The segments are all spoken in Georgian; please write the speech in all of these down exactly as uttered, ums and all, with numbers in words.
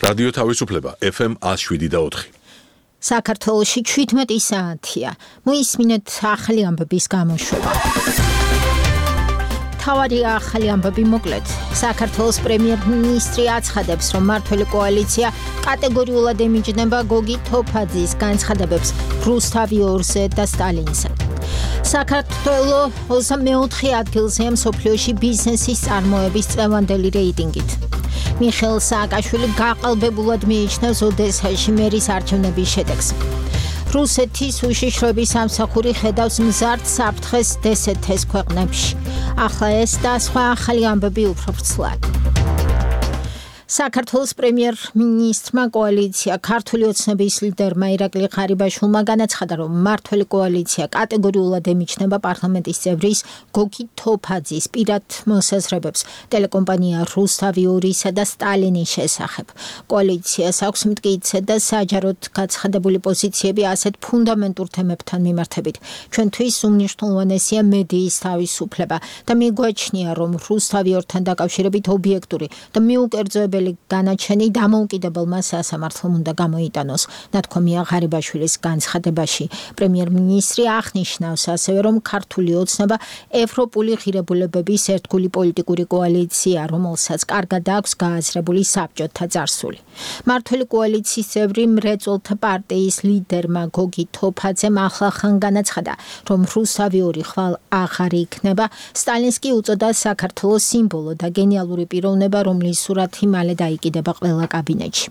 რადიო თავისუფლება ეფ ემ one oh seven და four. საქართველოში შვიდმეტი საათია. მოისმინეთ ახალი ამბების გამოშვება. თავარი ახალი ამბები მოკლედ. საქართველოს პრემიერ-მინისტრი აცხადებს, რომ მმართველი კოალიცია კატეგორიულად ემიჯნება გოგი თოფაძის განცხადებებს რუსთავი ორზე და სტალინზე. საქართველოს ოცდამეოთხე ადგილზეა მსოფლიოში ბიზნესის წარმოების წლევანდელი რეიტინგით. მიხეილ სააკაშვილი გაყალბებულად მიიჩნევს ოდესაში მერის არჩევნების შედეგს. რუსეთის უშიშროების სამსახური ხედავს მზარდ საფრთხეს დსთ-ს ქვეყნებში. ახლა ეს და სხვა ახალი ამბები უფრო ვრცლად. საქართველოს პრემიერ-მინისტრმა კოალიცია ქართული ოცნების ლიდერმა ირაკლი ღარიბაშვილმა განაცხადა, რომ მმართველი კოალიცია კატეგორიულად ემიჯნება პარლამენტის წევრის გოგი თოფაძის პირად მოსაზრებებს ტელეკომპანია რუსთავი ორისა და სტალინის შესახებ. კოალიციას აქვს მტკიცე და საჯაროდ გაცხადებული პოზიციები ასეთ ფუნდამენტურ თემებთან მიმართებით. ჩვენთვის უმნიშვნელოვანესია მედიის თავისუფლება და მიგვაჩნია, რომ რუსთავი ორთან დაკავშირებით ობიექტური და მიუკერძოებელი განაჩენი დამოუკიდებელმა სასამართლომ უნდა გამოიტანოს. ნათქვამია ღარიბაშვილის განცხადებაში. პრემიერ-მინისტრი აღნიშნავს ასევე, რომ ქართული ოცნება ევროპული ღირებულებების ერთგული პოლიტიკური კოალიცია, რომელსაც კარგად აქვს გააზრებული საბჭოთა წარსული. მმართველი კოალიციის წევრი მრეწველთა პარტიის ლიდერმა გოგი თოფაძემ ახლახან განაცხადა, რომ რუსთავი ორი ხვალ აღარ იქნება. სტალინს კი უწოდა საქართველოს სიმბოლო და გენიალური პიროვნება, რომლის სურათი მალე დაიკიდება ყველა კაბინეტში.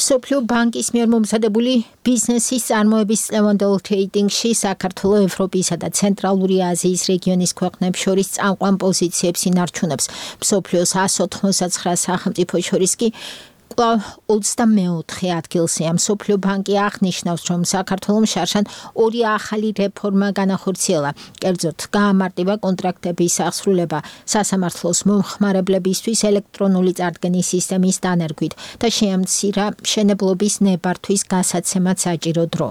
მსოფლიო ბანკის მიერ მომზადებული ბიზნესის წარმოების წლევანდელ რეიტინგში საქართველო ევროპისა და ცენტრალური აზიის რეგიონის ქვეყნებს შორის წამყვან პოზიციებს ინარჩუნებს. მსოფლიოს one ninety-nine სახელმწიფოს შორის კი კვლავ ოცდამეოთხე ადგილზეა. მსოფლიო ბანკი აღნიშნავს, რომ საქართველოს შარშან ორი ახალი რეფორმა განახორციელა. კერძოდ, გაამარტივა კონტრაქტების აღსრულება სასამართლოს მომხმარებლებისთვის ელექტრონული წარდგენის სისტემის დანერგვით და შეამცირა მშენებლობის ნებართვის გასაცემად საჭირო დრო.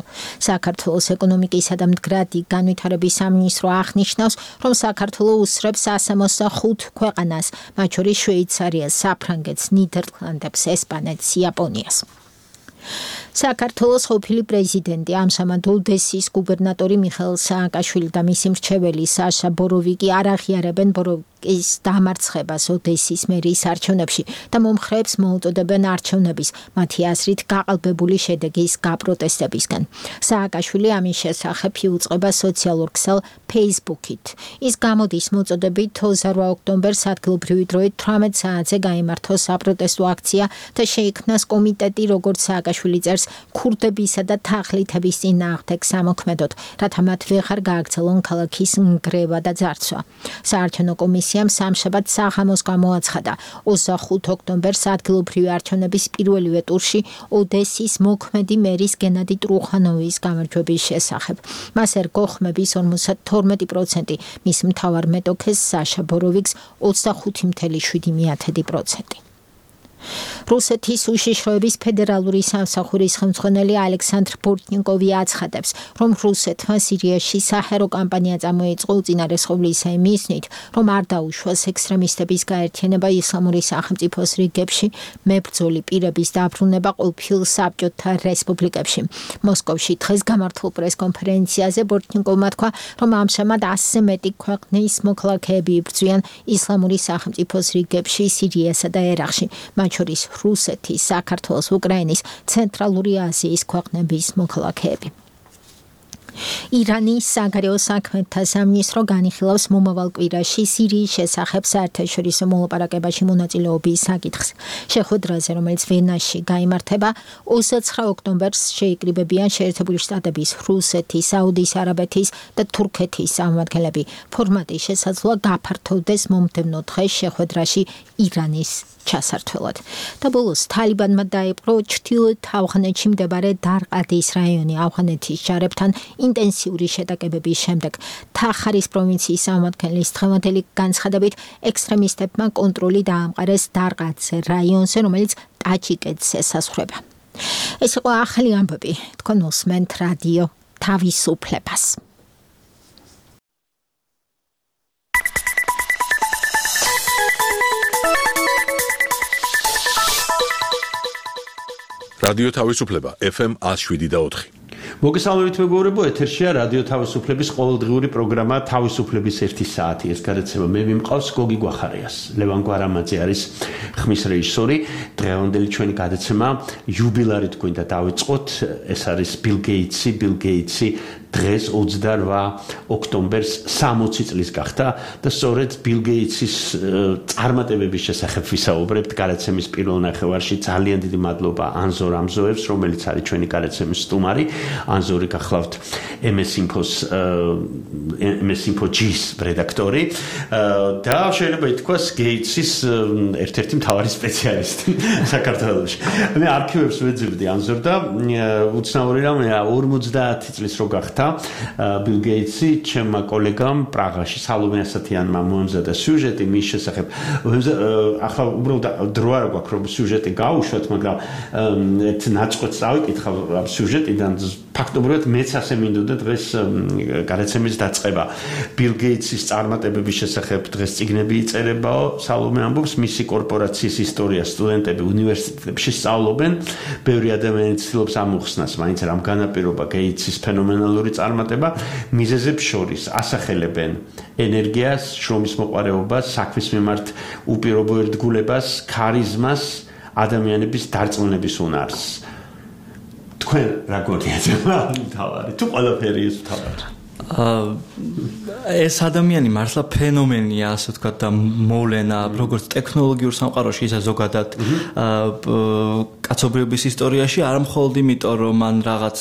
საქართველოს ეკონომიკისა და მდგრადი განვითარების სამინისტრო აღნიშნავს, რომ საქართველოს უსწრებს one sixty-five ქვეყანას, მათ შორის შვეიცარიას, საფრანგეთს, ნიდერლანდებს, ესპანეთს, იაპონიას. საქართველოს ყოფილი პრეზიდენტი ამჟამად ოდესის გუბერნატორი მიხეილ სააკაშვილი და მისი მრჩეველი საშა ბოროვიკი არ აღიარებენ ბოროვიკის დამარცხებას ოდესის მერის არჩევნებში და მომხრეებს მოუწოდებენ არჩევნების, მათი აზრით გაყალბებული შედეგის გაპროტესტებისგან. სააკაშვილი ამის შესახებ იუწყება სოციალურ ქსელ Facebook-ით. ის გამოდის მოწოდებით ოცდაოთხ ოქტომბერს ადგილობრივი დროით თვრამეტ საათზე გაიმართოს საპროტესტო აქცია და შეიქმნას კომიტეტი, როგორც სააკაშვილი წერს, ქურდებისა და თაღლითების წინააღმდეგ სამოქმედოდ, რათა მათ ვეღარ გააგრძელონ ქალაქის ნგრევა და ძარცვა. საარჩევნო კომისიამ სამშაბათ საღამოს გამოაცხადა ოცდახუთ ოქტომბერს ადგილობრივი არჩევნების პირველივე ტურში ოდესის მოქმედი მერის გენადი ტრუხანოვის გამარჯვების შესახებ. მას ერგო ხმების ორმოცდათორმეტი პროცენტი, მის მთავარ მეტოქეს საშა ბოროვიკს ოცდახუთი comma შვიდი პროცენტი. რუსეთის უშიშროების ფედერალური სამსახურის ხელმძღვანელი ალექსანდრ ბორტნიკოვი აცხადებს, რომ რუსეთმა სირიაში საჰაერო კამპანია წამოიწყო უწინარესყობლისა იმისნით, რომ არ დაუშვას ექსტრემისტების გაერთიანება ისლამური სახელმწიფოს რიგებში, მებრძოლი პირების დაბრუნება ყოფილ საბჭოთა რესპუბლიკებში. მოსკოვში დღეს გამართულ პრესკონფერენციაზე ბორტნიკოვმა თქვა, რომ ამჟამად ასზე მეტი ქვეყნის მოქალაქეები იბრძვიან ისლამური სახელმწიფოს რიგებში სირიასა და ერაყში, მათ შორის რუსეთის, საქართველოს, უკრაინის, ცენტრალური აზიის ქვეყნების მოქალაქეები. ირანის საგარეო საქმეთა სამინისტრო განიხილავს მომავალ კვირაში სირიის შესახებ საერთაშორისო მოლაპარაკებაში მონაწილეობის საკითხს. შეხვედრაზე, რომელიც ვენაში გაიმართება, ოცდაცხრა ოქტომბერს შეიკრიბებიან შეერთებული შტატების, რუსეთის, საუდის არაბეთის და თურქეთის წარმომადგენლები. ფორმატი შესაძლოა გაფართოვდეს მომდევნო დღეს შეხვედრაში ირანის ჩასართველად. და ბოლოს თალიბანმა დაიპყრო ჩრდილოეთ ავღანეთში მდებარე დარყადის რაიონი ავღანეთის ჯარებთან ინტენსიური შეტაკებების შემდეგ. თახარის პროვინციის წარმომადგენლის დღევანდელი განცხადებით ექსტრემისტებმა კონტროლი დაამყარეს დარყადზე რაიონზე, რომელიც ტაჯიკეთს ესაზღვრება. ეს იყო ახალი ამბები. თქვენ უსმენთ რადიო თავისუფლებას. რადიო თავისუფლება F M one oh seven და four. მოგესალმებით მეგობრებო, ეთერშია რადიო თავისუფლების ყოველდღიური პროგრამა თავისუფლების ერთი საათი. ეს გადაცემა მე მიმყავს გოგი გვახარიას. ლევან გვარამაძე არის ხმის რეჟისორი. დღევანდელი ჩვენი გადაცემა იუბილარით გვინდა დავიწყოთ. ეს არის Bill Gates-ი, Bill Gates-ი დღეს ოცდაორ ოქტომბერს სამოცი წლის გახდა და სწორედ Bill Gates-ის წარმატებების შესახებ ვისაუბრებთ გადაცემის პირველ ნახევარში. ძალიან დიდი მადლობა ანზორ ამზოევს, რომელიც არის ჩვენი გადაცემის სტუმარი. ანზორი გახლავთ M S Info-ს M S Info G-ის რედაქტორი და შეიძლება ითქვას Gates-ის ერთ-ერთი მთავარი სპეციალისტი საქართველოში. მე არქივებს ვეძებდი ანზორ და უცნაური რამეა ორმოცდაათი წლის რო გახდა Bill Gates-ი ჩემმა კოლეგამ პრაღაში სალომე ასათიანმა მოემზადა სიუჟეტი მის შესახებ. ახლა უბრალოდ დრო არ გვაქვს რომ სიუჟეტი გავუშვათ, მაგრამ ერთ ნაწყვეტს დავიკითხავ ამ სიუჟეტიდან ფაქტობრივად მეც ასე მინდოდა დღეს გადაცემის დაწყება. Bill Gates-ის წარმატებების შესახებ დღეს წიგნები იწერებაო, სალომე ამბობს, მისი კორპორაციის ისტორია სტუდენტები უნივერსიტეტებში სწავლობენ, ბევრი ადამიანი ცდილობს ამოხსნას, მაინც რამ განაპირობა Gates-ის ფენომენალური წარმატება, მიზეზებს შორის ასახელებენ ენერგიას, შრომის მოყვარეობას, საქმის მიმართ უპირობო ერთგულებას, ქარიზმას, ადამიანების დარწმუნების უნარს. თქვენ რა გონიათ თავარი? თუ ყველაფერი ის თავარი? ეს ადამიანი მართლა ფენომენია, ასე ვთქვათ, და მოვლენა, როგორც ტექნოლოგიურ სამყაროში, ისე ზოგადად კაცობრიობის ისტორიაში, არა მხოლოდ იმიტომ, რომ მან რაღაც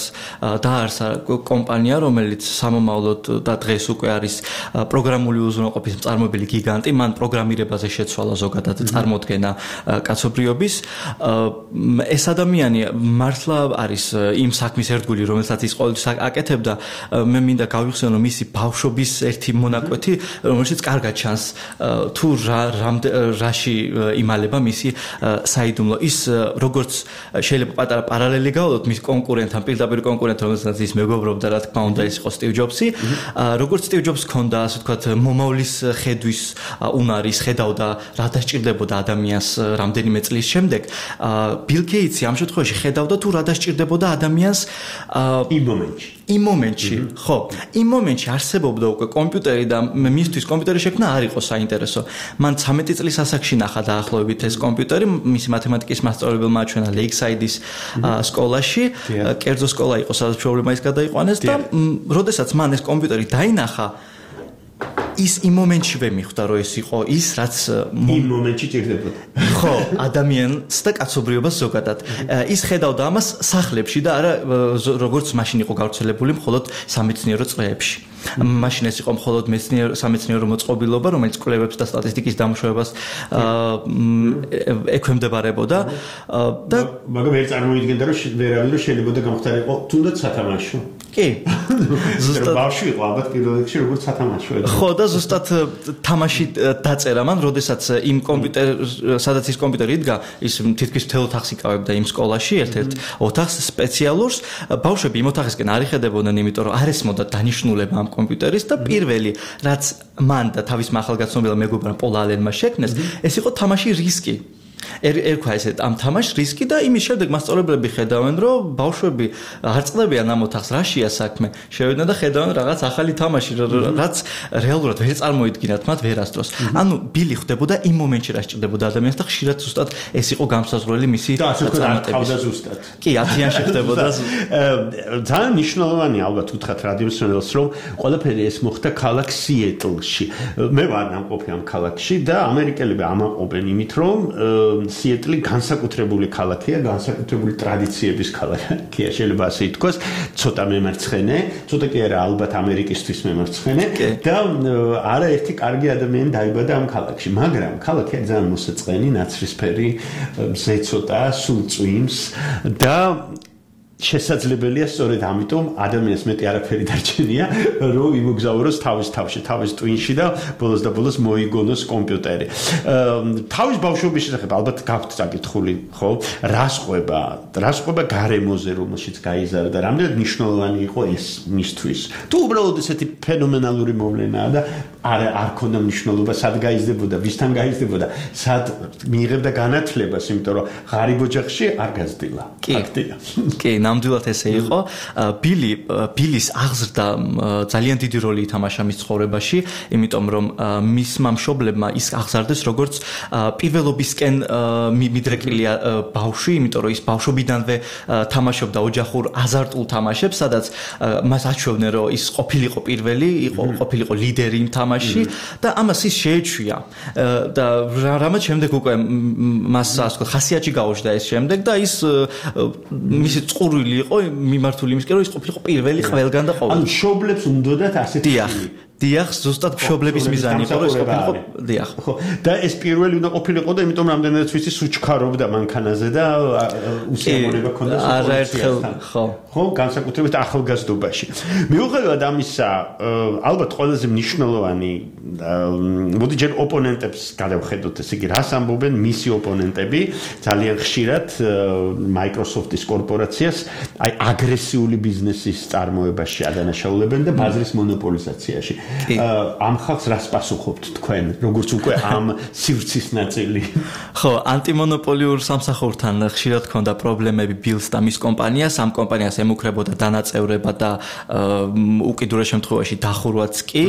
დაარსა კომპანია, რომელიც სამომავლოდ და დღეს უკვე არის პროგრამული უზრუნველყოფის მწარმოებელი გიგანტი, მან პროგრამირებაზე შეცვალა ზოგადად წარმოდგენა კაცობრიობის. ეს ადამიანი მართლა არის იმ საქმის ერთგული, რომელსაც ის ყოველთვის აკეთებდა. მე მინდა გავიხსენო მისი ბავშვობის ერთი მონაკვეთი, რომელშიც კარგად ჩანს თუ რა რაში იმალება მისი საიდუმლო. ის როგორც შეიძლება პატარა პარალელი გავდოთ მის კონკურენტთან, პირდაპირ კონკურენტთან, რომელსაც ის მეგობრობდა, რა თქმა უნდა, ეს იყო Steve Jobs-ი. როგორც Steve Jobs ჰქონდა, ასე ვთქვათ, მომავლის ხედვის უნარის, ხედავდა რა დასჭირდებოდა ადამიანს რამდენიმე წლის შემდეგ. Bill Gates-ი ამ შემთხვევაში ხედავდა თუ რა დასჭირდებოდა ადამიანს იმ მომენტში. იმ მომენტში, ხო, იმ მომენტში არსებობდა უკვე კომპიუტერი და მისთვის კომპიუტერი შექმნა არ იყო საინტერესო. მან ცამეტი წლის ასაკში ნახა დაახლოებით ეს კომპიუტერი, მისი მათემატიკის მასწავლებელმა აჩვენა ლეიქსაიდის სკოლაში, კერძო სკოლა იყო, სადაც პრობლემა ის გადაიყვანეს და როდესაც მან ეს კომპიუტერი დაინახა, ის იმ მომენტში ვემიხვდა, რომ ეს იყო ის, რაც იმ მომენტში ჭირდებოდა. ხო, ადამიანს და კაცობრიობას ზოგადად. ის ხედავდა ამას სახლებში და არა როგორც მაშინ იყო გავრცელებული მხოლოდ სამეცნიერო წრეებში. მაშინ ეს იყო მხოლოდ მეცნიერო სამეცნიერო მოწყობილობა, რომელიც კვლევებს და სტატისტიკის დამუშავებას ექვემდებარებოდა და მაგრამ ვერ წარმოიდგენდა, რომ ვერავინ რომ შეიძლება გამختارიყო თუნდაც სათამაშო. კი. ზუსტად ბავშვი იყო ალბათ პირველ რიგში როგორც სათამაშო. ხო და ზუსტად თამაში დაწერა მან, როდესაც იმ კომპიუტერ სადაც ის კომპიუტერი იდგა, ის თითქმის მთელ ოთახს იკავებდა იმ სკოლაში, ერთ-ერთ ოთახს სპეციალურს. ბავშვები იმ ოთახისკენ არ იხედებოდნენ, იმიტომ რომ არ ესმოდა დანიშნულება ამ კომპიუტერის და პირველი რაც მან და თავის ახალგაზრდობილ მეგობრებმა პოლ ალენმა შექმნეს, ეს იყო თამაში რისკი. ერქვა ესე ამ თამაშს რისკი და იმის შემდეგ მასწავლებლები ხედავენ, რომ ბავშვები არ წდებიან ამ ოთახს, რაშია საქმე. შევიდნენ და ხედავენ რაღაც ახალი თამაში, რაც რეალურად ვერ წარმოიდგინათ მათ ვერასდროს. ანუ ბილი ხდებოდა იმ მომენტში, რა სჭირდებოდა ადამიანს და ხშირად ზუსტად ეს იყო გამსაზღვრელი მისი წარმატების. ზუსტად. კი, ათიანში ხდებოდა. ძალიან მნიშვნელოვანი ალბათ უთხრათ რადიოსმენელს, რომ ყველაფერი ეს მოხდა ქალაქ სიეტლში. მე ვარ ნამყოფი ამ ქალაქში და ამერიკელები ამაყობენ იმით, რომ სიეტლი განსაკუთრებული ქალაქია, განსაკუთრებული ტრადიციების ქალაქია, შეიძლება ასე ითქვას, ცოტა მემარცხენე, ცოტა კი არა, ალბათ ამერიკისთვის მემარცხენე და არაერთი კარგი ადამიანი დაიბადა ამ ქალაქში, მაგრამ ქალაქია ძალიან მოსაწყენი, ნაცრისფერი, მზე ცოტა, სულ წვიმს და შესაძლებელია სწორედ ამიტომ ადამიანს მეტი არაფერი დარჩენია, რომ იმოგზაუროს თავის თავში, თავის ტვინში და ბოლოს და ბოლოს მოიგონოს კომპიუტერი. თავის ბავშვობის შესახებ ალბათ გაქვთ წაკითხული, ხო? რას ყვება? რას ყვება გარემოზე, რომელშიც გაიზარდა და რამდენად მნიშვნელოვანი იყო ეს მისთვის? თუ უბრალოდ ესეთი ფენომენალური მოვლენაა და არ არ ქონდა მნიშვნელობა, სად გაიზრდებოდა, ვისთან გაიზრდებოდა, სად მიიღებდა განათლებას, იმიტომ რომ ღარიბ ოჯახში არ გაზრდილა. ფაქტია. კი, ნამდვილად ესე იყო. ბილი ბილის აღზრდა ძალიან დიდი როლი ითამაშა მის ცხოვრებაში, იმიტომ რომ მისმა მშობლებმა ის აღზარდეს როგორც პირველობისკენ მიდრეკილია ბავშვი, იმიტომ რომ ის ბავშვობიდანვე თამაშობდა ოჯახურ აზარტულ თამაშებს, სადაც მას აჩვევდნენ, რომ ის ყოფილიყო პირველი, იყო ყოფილიყო ლიდერი იმ თამაშში და ამას ის შეეჩვია. და რამაც შემდეგ უკვე მას ასე ვთქვათ, ხასიათში გაუჩნდა ეს შემდეგ და ის მისი წყურვილი იყო მიმართული იმისკენ, რომ ის ყოფილიყო პირველი ყველგან და ყოველ. ანუ მშობლებს უნდათ ასეთი დიახ, ზუსტად მშობლების მიზანი იყო, რომ ეს ყოფილიყო, დიახ. ხო, და ეს პირველი უნდა ყოფილიყო და იმიტომ რამდენადაც ვიცი სუჩქარობდა მანქანაზე და უსიამოვნება ჰქონდა პოლიციასთან. ხო. ხო, განსაკუთრებით ახალგაზრდობაში. მიუხედავად ამისა, ალბათ ყველაზე მნიშვნელოვანი მოდი ჯერ ოპონენტებს გადავხედოთ, ესე იგი, რას ამბობენ მისი ოპონენტები, ძალიან ხშირად Microsoft-ის კორპორაციას აი აგრესიული ბიზნესის წარმოებაში ადანაშაულებენ და ბაზრის მონოპოლიზაციაში. ამ ხალხს რას პასუხობთ თქვენ, როგორც უკვე ამ სივრცის ნაწილი? ხო, ანტიმონოპოლიურ სამსახურთან ხშირად ჰქონდა პრობლემები ბილს და მის კომპანიას, ამ კომპანიას ემუქრებოდა დანაწევრება და უკიდურეს შემთხვევაში დახურვაც კი.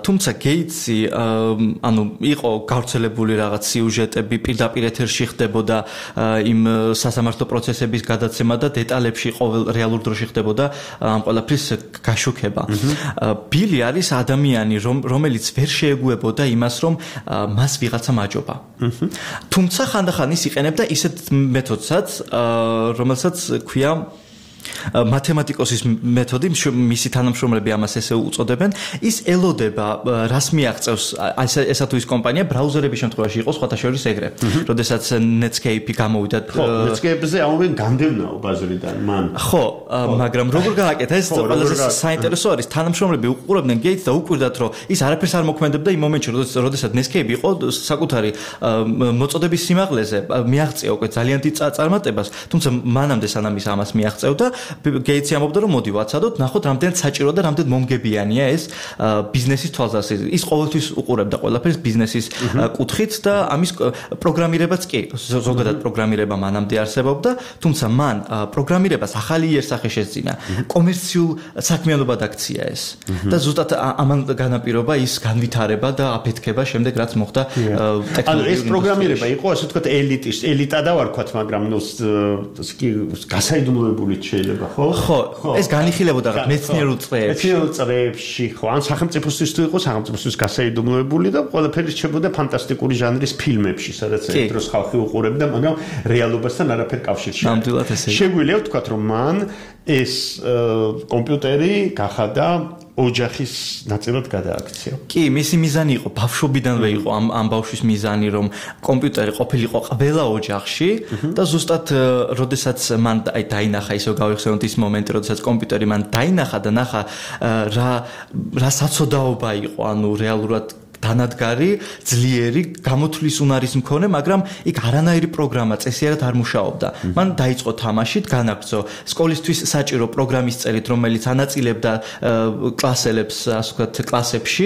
თუმცა გეიტსი ანუ იყო გავრცელებული რაღაც სიუჟეტები, პირდაპირ ეთერში ხდებოდა იმ სასამართლო პროცესების გადაცემა და დეტალებში ყოველ რეალურ დროში ხდებოდა ამ ყველაფრის გაშუქება. ბილი არის ადამიანი, რომელიც ვერ შეეგუებოდა იმას, რომ მას ვიღაცა მაჯობა. თუმცა ხანდახან ის იყენებდა ისეთ მეთოდსაც, რომელსაც ქვია მათემატიკოსის მეთოდი, მისი თანამშრომლები ამას ესე უწოდებენ, ის ელოდება, რას მიაღწევს ესა თუ ის კომპანია, ბრაუზერების შემთხვევაში იყო სხვათა შორის ეგრე. როდესაც Netscape გამოვიდა. ხო, Netscape-ზე ამობენ განდევნაო ბაზრიდან მან. ხო, მაგრამ როგორ გააკეთა ეს ყველაზე საინტერესო არის, თანამშრომლები უყურებდნენ Gates და უკვირდათ, რომ ის არაფერს არ მოქმედებდა იმ მომენტში, როდესაც Netscape იყო საკუთარი მოწოდების სიმაღლეზე, მიაღწია უკვე ძალიან დიდ წარმატებას, თუმცა მანამდე სანამ ის ამას მიაღწევდა გეიტსი ამბობდა, რომ მოდი ვაცადოთ, ნახოთ რამდენად საჭირო და რამდენად მომგებიანია ეს ბიზნესის თვალსაზრისით. ის ყოველთვის უყურებდა ყველაფერს ბიზნესის კუთხით და ამის პროგრამირებაც კი, ზოგადად პროგრამირება მანამდე არსებობდა, თუმცა მან პროგრამირებას ახალი იერსახე შეძინა. კომერციულ საქმიანობად აქცია ეს. და ზუსტად ამან განაპირობა ის განვითარება და აფეთქება შემდეგ რაც მოხდა ტექნოლოგიურ. ანუ ეს პროგრამირება იყო, ასე ვთქვათ, ელიტის, ელიტა და ვარქვათ, მაგრამ ნუ გასაიდუმლოებული შეიძლება, ხო? ხო, ეს განიხილებოდა რაღაც მეცნიერულ წრეებში. მეცნიერულ წრეებში, ხო, ან სახელმწიფოსთვის თუ იყო სახელმწიფოსთვის გასაიდუმლოებული და ყველაფერი რჩებოდა ფანტასტიკური ჟანრის ფილმებში, სადაც ერთ დროს ხალხი უყურებდა, მაგრამ რეალობასთან არაფერ კავშირში. ნამდვილად ესე იყო. შეგვიძლია ვთქვათ, რომ მან ეს კომპიუტერი გახადა ოჯახის ნაწილად გადააქცია. კი, მისი მიზანი იყო, ბავშვობიდანვე იყო ამ ამ ბავშვის მიზანი, რომ კომპიუტერი ყოფილიყო ყველა ოჯახში და ზუსტად როდესაც მან აი დაინახა, ისე გავიხსენოთ ის მომენტი, როდესაც კომპიუტერი მან დაინახა და ნახა რა რა საცოდაობა იყო, ანუ რეალურად დანადგარი, ძლიერი, გამოთვლის უნარის მქონე, მაგრამ იქ არანაირი პროგრამა წესიერად არ მუშაობდა. მან დაიწყო თამაშით, განაგრძო სკოლისთვის საჭირო პროგრამის წერით, რომელიც ანაწილებდა კლასელებს, ასე ვთქვათ, კლასებში,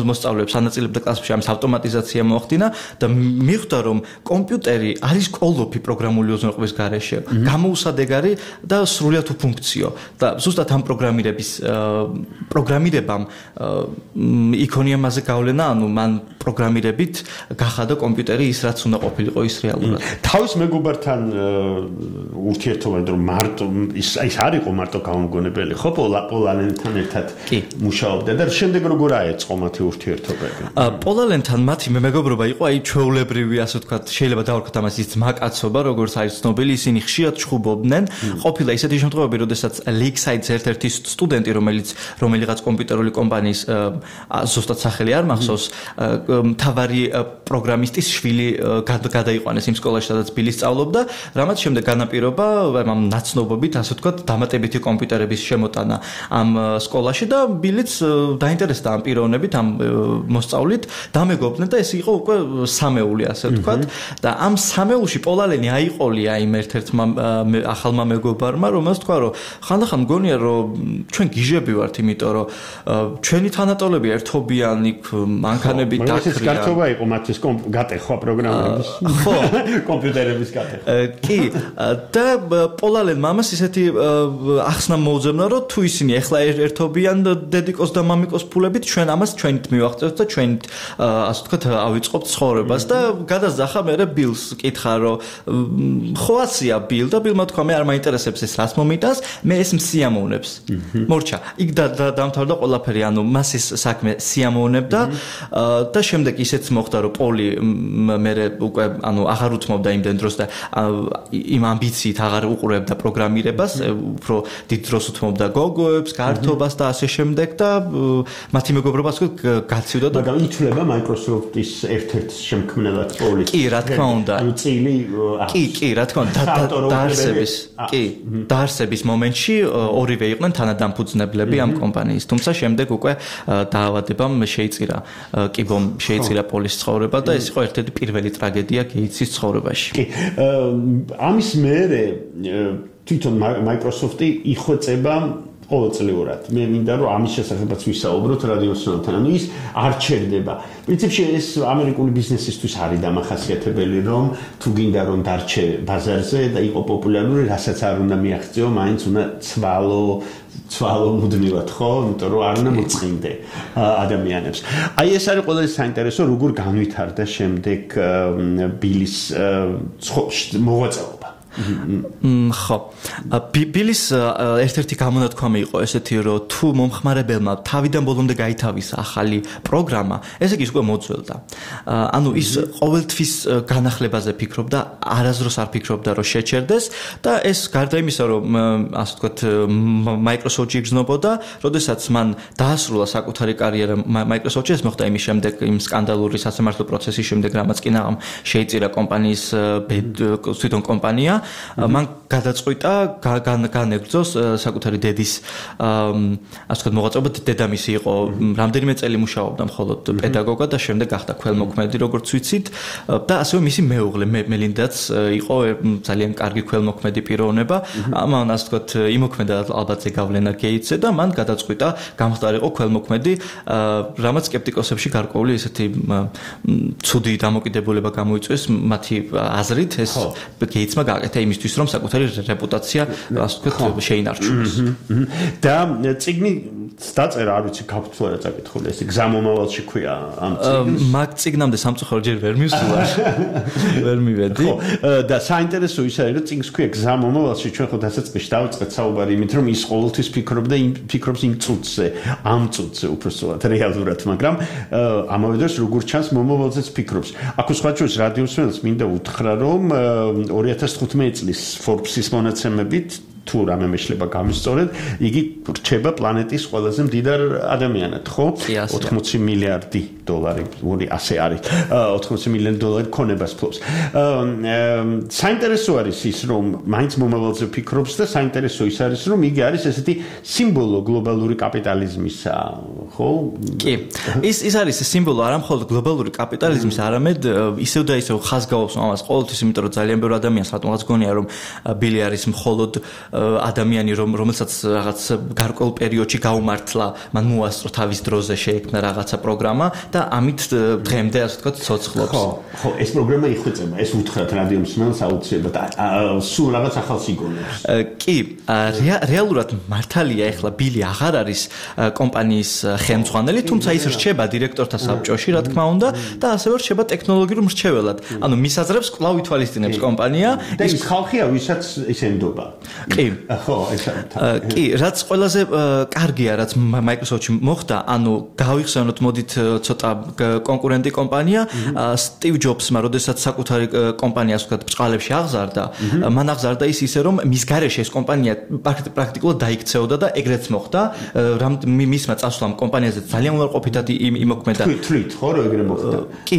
მოსწავლეებს ანაწილებდა კლასებში, ამის ავტომატიზაცია მოახდინა და მიხვდა, რომ კომპიუტერი არის კოლოფი პროგრამული უზრუნველყოფის გარეშე, გამოუსადეგარი და სრულიად უფუნქციო. და ზუსტად ამ პროგრამირების პროგრამირებამ იქონია მასზე გავლენა, ანუ მან პროგრამირებით გახადა კომპიუტერი ის რაც უნდა ყოფილიყო ის რეალურად. თავის მეგობართან ურთიერთობა, რომ მარტო ის ის არ იყო მარტო გამომგონებელი, ხო, პოლალენთან ერთად მუშაობდა და შემდეგ როგორ აეწყო მათი ურთიერთობები? პოლალენთან მათი მეგობრობა იყო აი ჩვეულებრივი, ასე ვთქვათ, შეიძლება დავარქვათ ამას ის ძმაკაცობა, როგორც არის ცნობილი, ისინი ხშირად ჩხუბობდნენ. ყოფილა ისეთი შემთხვევები, როდესაც Lakeside-ს ერთ-ერთი სტუდენტი, რომელიც რომელიღაც კომპიუტერული კომპანიის ზუსტად სახელი არ მახსოვს, მახსოვს მთავარი პროგრამისტის შვილი გადაიყვანეს იმ სკოლაში, სადაც ბილი სწავლობდა, რამაც შემდეგ განაპირობა ამ ნაცნობობით, ასე ვთქვათ, დამატებითი კომპიუტერების შემოტანა ამ სკოლაში და ბილიც დაინტერესდა ამ პიროვნებით, ამ მოსწავლით, დამეგობრდნენ და ეს იყო უკვე სამეული, ასე ვთქვათ, და ამ სამეულში პოლალენი აიყოლია იმ ერთ-ერთმა ახალმა მეგობარმა, რომელს თქვა, რომ ხანდახან მგონია, რომ ჩვენ გიჟები ვართ, იმიტომ რომ ჩვენი თანატოლები ერთობიან იქ მანქანები დაკრიან. ეს გართობა იყო მათთვის გატეხვა პროგრამების. ხო, კომპიუტერების გატეხვა. კი, და პოლალენმა ამას ისეთი ახსნა მოუძებნა, რომ თუ ისინი ახლა ერთობიან დედიკოს და მამიკოს ფულებით, ჩვენ ამას ჩვენით მივახწევთ და ჩვენით ასე ვთქვათ ავიწყობთ ცხოვრებას და გადასძახა მერე ბილს კითხა, რომ ხო აცია ბილ და ბილმა თქვა მე არ მაინტერესებს ეს რას მომიტანს, მე ეს მსიამოვნებს. მორჩა, იქ დამთავრდა ყველაფერი, ანუ მას ეს საქმე სიამოვნებდა და შემდეგ ისეც მოხდა, რომ პოლი მერე უკვე ანუ აღარ უთმობდა იმდენ დროს და იმ ამბიციით აღარ უყურებდა პროგრამირებას, უფრო დიდ დროს უთმობდა გოგოებს, გართობას და ასე შემდეგ და მათი მეგობრობაც გაცივდა და მაგრამ ითვლება Microsoft-ის ერთ-ერთ შემქმნელად პოლი. კი, რა თქმა უნდა. ანუ წილი კი, კი, რა თქმა უნდა, დაარსების, კი, დაარსების მომენტში ორივე იყვნენ თანადამფუძნებლები ამ კომპანიის, თუმცა შემდეგ უკვე დაავადებამ შეიწირა, კიბომ შეიწირა პოლის ცხოვრება და ეს იყო ერთ-ერთი პირველი ტრაგედია გეიტსის ცხოვრებაში. კი, ამის მერე თვითონ Microsoft-ი იხვეწება ყოველწლიურად. მე მინდა რომ ამის შესახებაც ვისაუბროთ რადიოსთან. ანუ ის არ ჩერდება. პრინციპში ეს ამერიკული ბიზნესისთვის არის დამახასიათებელი, რომ თუ გინდა რომ დარჩე ბაზარზე და იყო პოპულარული, რასაც არ უნდა მიაღწიო, მაინც უნდა ცვალო ცვალო მუდმივად, ხო? იმიტომ რომ არ უნდა მოწყინდე ადამიანებს. აი ეს არის ყველაზე საინტერესო, როგორ განვითარდა შემდეგ ბილის მოღვაწეობა. ხო. ბილის ერთ-ერთი გამონათქვამი იყო ესეთი, რომ თუ მომხმარებელმა თავიდან ბოლომდე გაითავისა ახალი პროგრამა, ესე იგი უკვე მოძველდა. ანუ ის ყოველთვის განახლებაზე ფიქრობდა, არასდროს არ ფიქრობდა, რომ შეჩერდეს და ეს გარდა იმისა, რომ ასე ვთქვათ, Microsoft-ში იგრძნობოდა, როდესაც მან დაასრულა საკუთარი კარიერა Microsoft-ში, ეს მოხდა იმის შემდეგ, იმ სკანდალური სასამართლო პროცესის შემდეგ, რამაც კი ნაღამ შეიწირა კომპანიის თვითონ კომპანია, მან გადაწყვიტა განეგრძოს საკუთარი დედის ასე ვთქვათ მოღვაწეობა. დედამისი იყო რამდენიმე წელი მუშაობდა მხოლოდ პედაგოგად და შემდეგ გახდა ქველმოქმედი, როგორც ვიცით, და ასევე მისი მეუღლე მელინდაც იყო ძალიან კარგი ქველმოქმედი პიროვნება. ამან ასე ვთქვათ იმოქმედა ალბათ ზეგავლენა გეიტსზე და მან გადაწყვიტა გამხდარიყო ქველმოქმედი, რამაც სკეპტიკოსებში გარკვეული ესეთი ცუდი დამოკიდებულება გამოიწვიეს მათი აზრით. ეს გეიტსმა გააკეთა იმისთვის, რომ საკუთარი რეპუტაცია ასე ვთქვათ შეინარჩუნოს. და წიგნი დაწერა, არ ვიცი, გაფრთხილდა რა წაკითხული, ეს გზამომავალში ქვია ამ წიგნს. მაგ წიგნამდე სამწუხაროდ ჯერ ვერ მივსულა. ვერ მივედი. ხო, და საინტერესო ის არის, რომ წიგნს ქვია გზამომავალში, ჩვენ ხო დასაწყისში დავიწყეთ საუბარი იმით, რომ ის ყოველთვის ფიქრობდა იმ ფიქრობს იმ წუთზე, ამ წუთზე უბრალოდ რეალურად, მაგრამ ამავე დროს როგორ ჩანს მომავალზეც ფიქრობს. აქ სხვაჩვენს რადიოსმენელს მინდა უთხრა, რომ ორი ათას თხუთმეტი წლის Forbes-ის მონაცემებით თუ რამე მეშლება გამისწორეთ, იგი რჩება პლანეტის ყველაზე მდიდარ ადამიანად, ხო? ოთხმოცი მილიარდი დოლარი, ორი ასე არის. ოთხმოცი მილიონი დოლარი ქონებას ფლობს. საინტერესო არის ის, რომ მაინც მომავალზე ფიქრობს და საინტერესო ის არის, რომ იგი არის ესეთი სიმბოლო გლობალური კაპიტალიზმისა, ხო? კი. ის ის არის სიმბოლო არა მხოლოდ გლობალური კაპიტალიზმის, არამედ ისევ და ისევ ხაზგაობს ამას ყოველთვის, იმიტომ რომ ძალიან ბევრი ადამიანს რატომღაც გონია, რომ ბილი არის მხოლოდ ადამიანი, რომელსაც რაღაც გარკვეულ პერიოდში გაუმართლა, მან მოასწრო თავის დროზე შეექმნა რაღაცა პროგრამა და ამით დღემდე ასე ვთქვათ ცოცხლობს. ხო, ხო, ეს პროგრამა იხვეწება, ეს უთხრათ რადიოსმენელს აუცილებლად. სულ რაღაც ახალს იგონებს. კი, რეალურად მართალია, ეხლა ბილი აღარ არის კომპანიის ხელმძღვანელი, თუმცა ის რჩება დირექტორთა საბჭოში, რა თქმა უნდა, და ასევე რჩება ტექნოლოგიურ მრჩეველად. ანუ მის აზრებს კვლავ ითვალისწინებს კომპანია. და ის ხალხია, ვისაც ის ენდობა. კი. ხო, ეს კი, რაც ყველაზე კარგია, რაც Microsoft-ში მოხდა, ანუ გავიხსენოთ, მოდით ცოტა კონკურენტი კომპანია, Steve Jobs-მა, როდესაც საკუთარი კომპანია, ასე ვთქვათ, ბრწყალებში აღზარდა, მან აღზარდა ის ისე, რომ მის გარეშე ეს კომპანია პრაქტიკულად დაიქცეოდა და ეგრეც მოხდა, მისმა წასვლამ კომპანიაზე ძალიან უარყოფითად იმოქმედა. თვლით, ხო, რო ეგრე მოხდა. კი.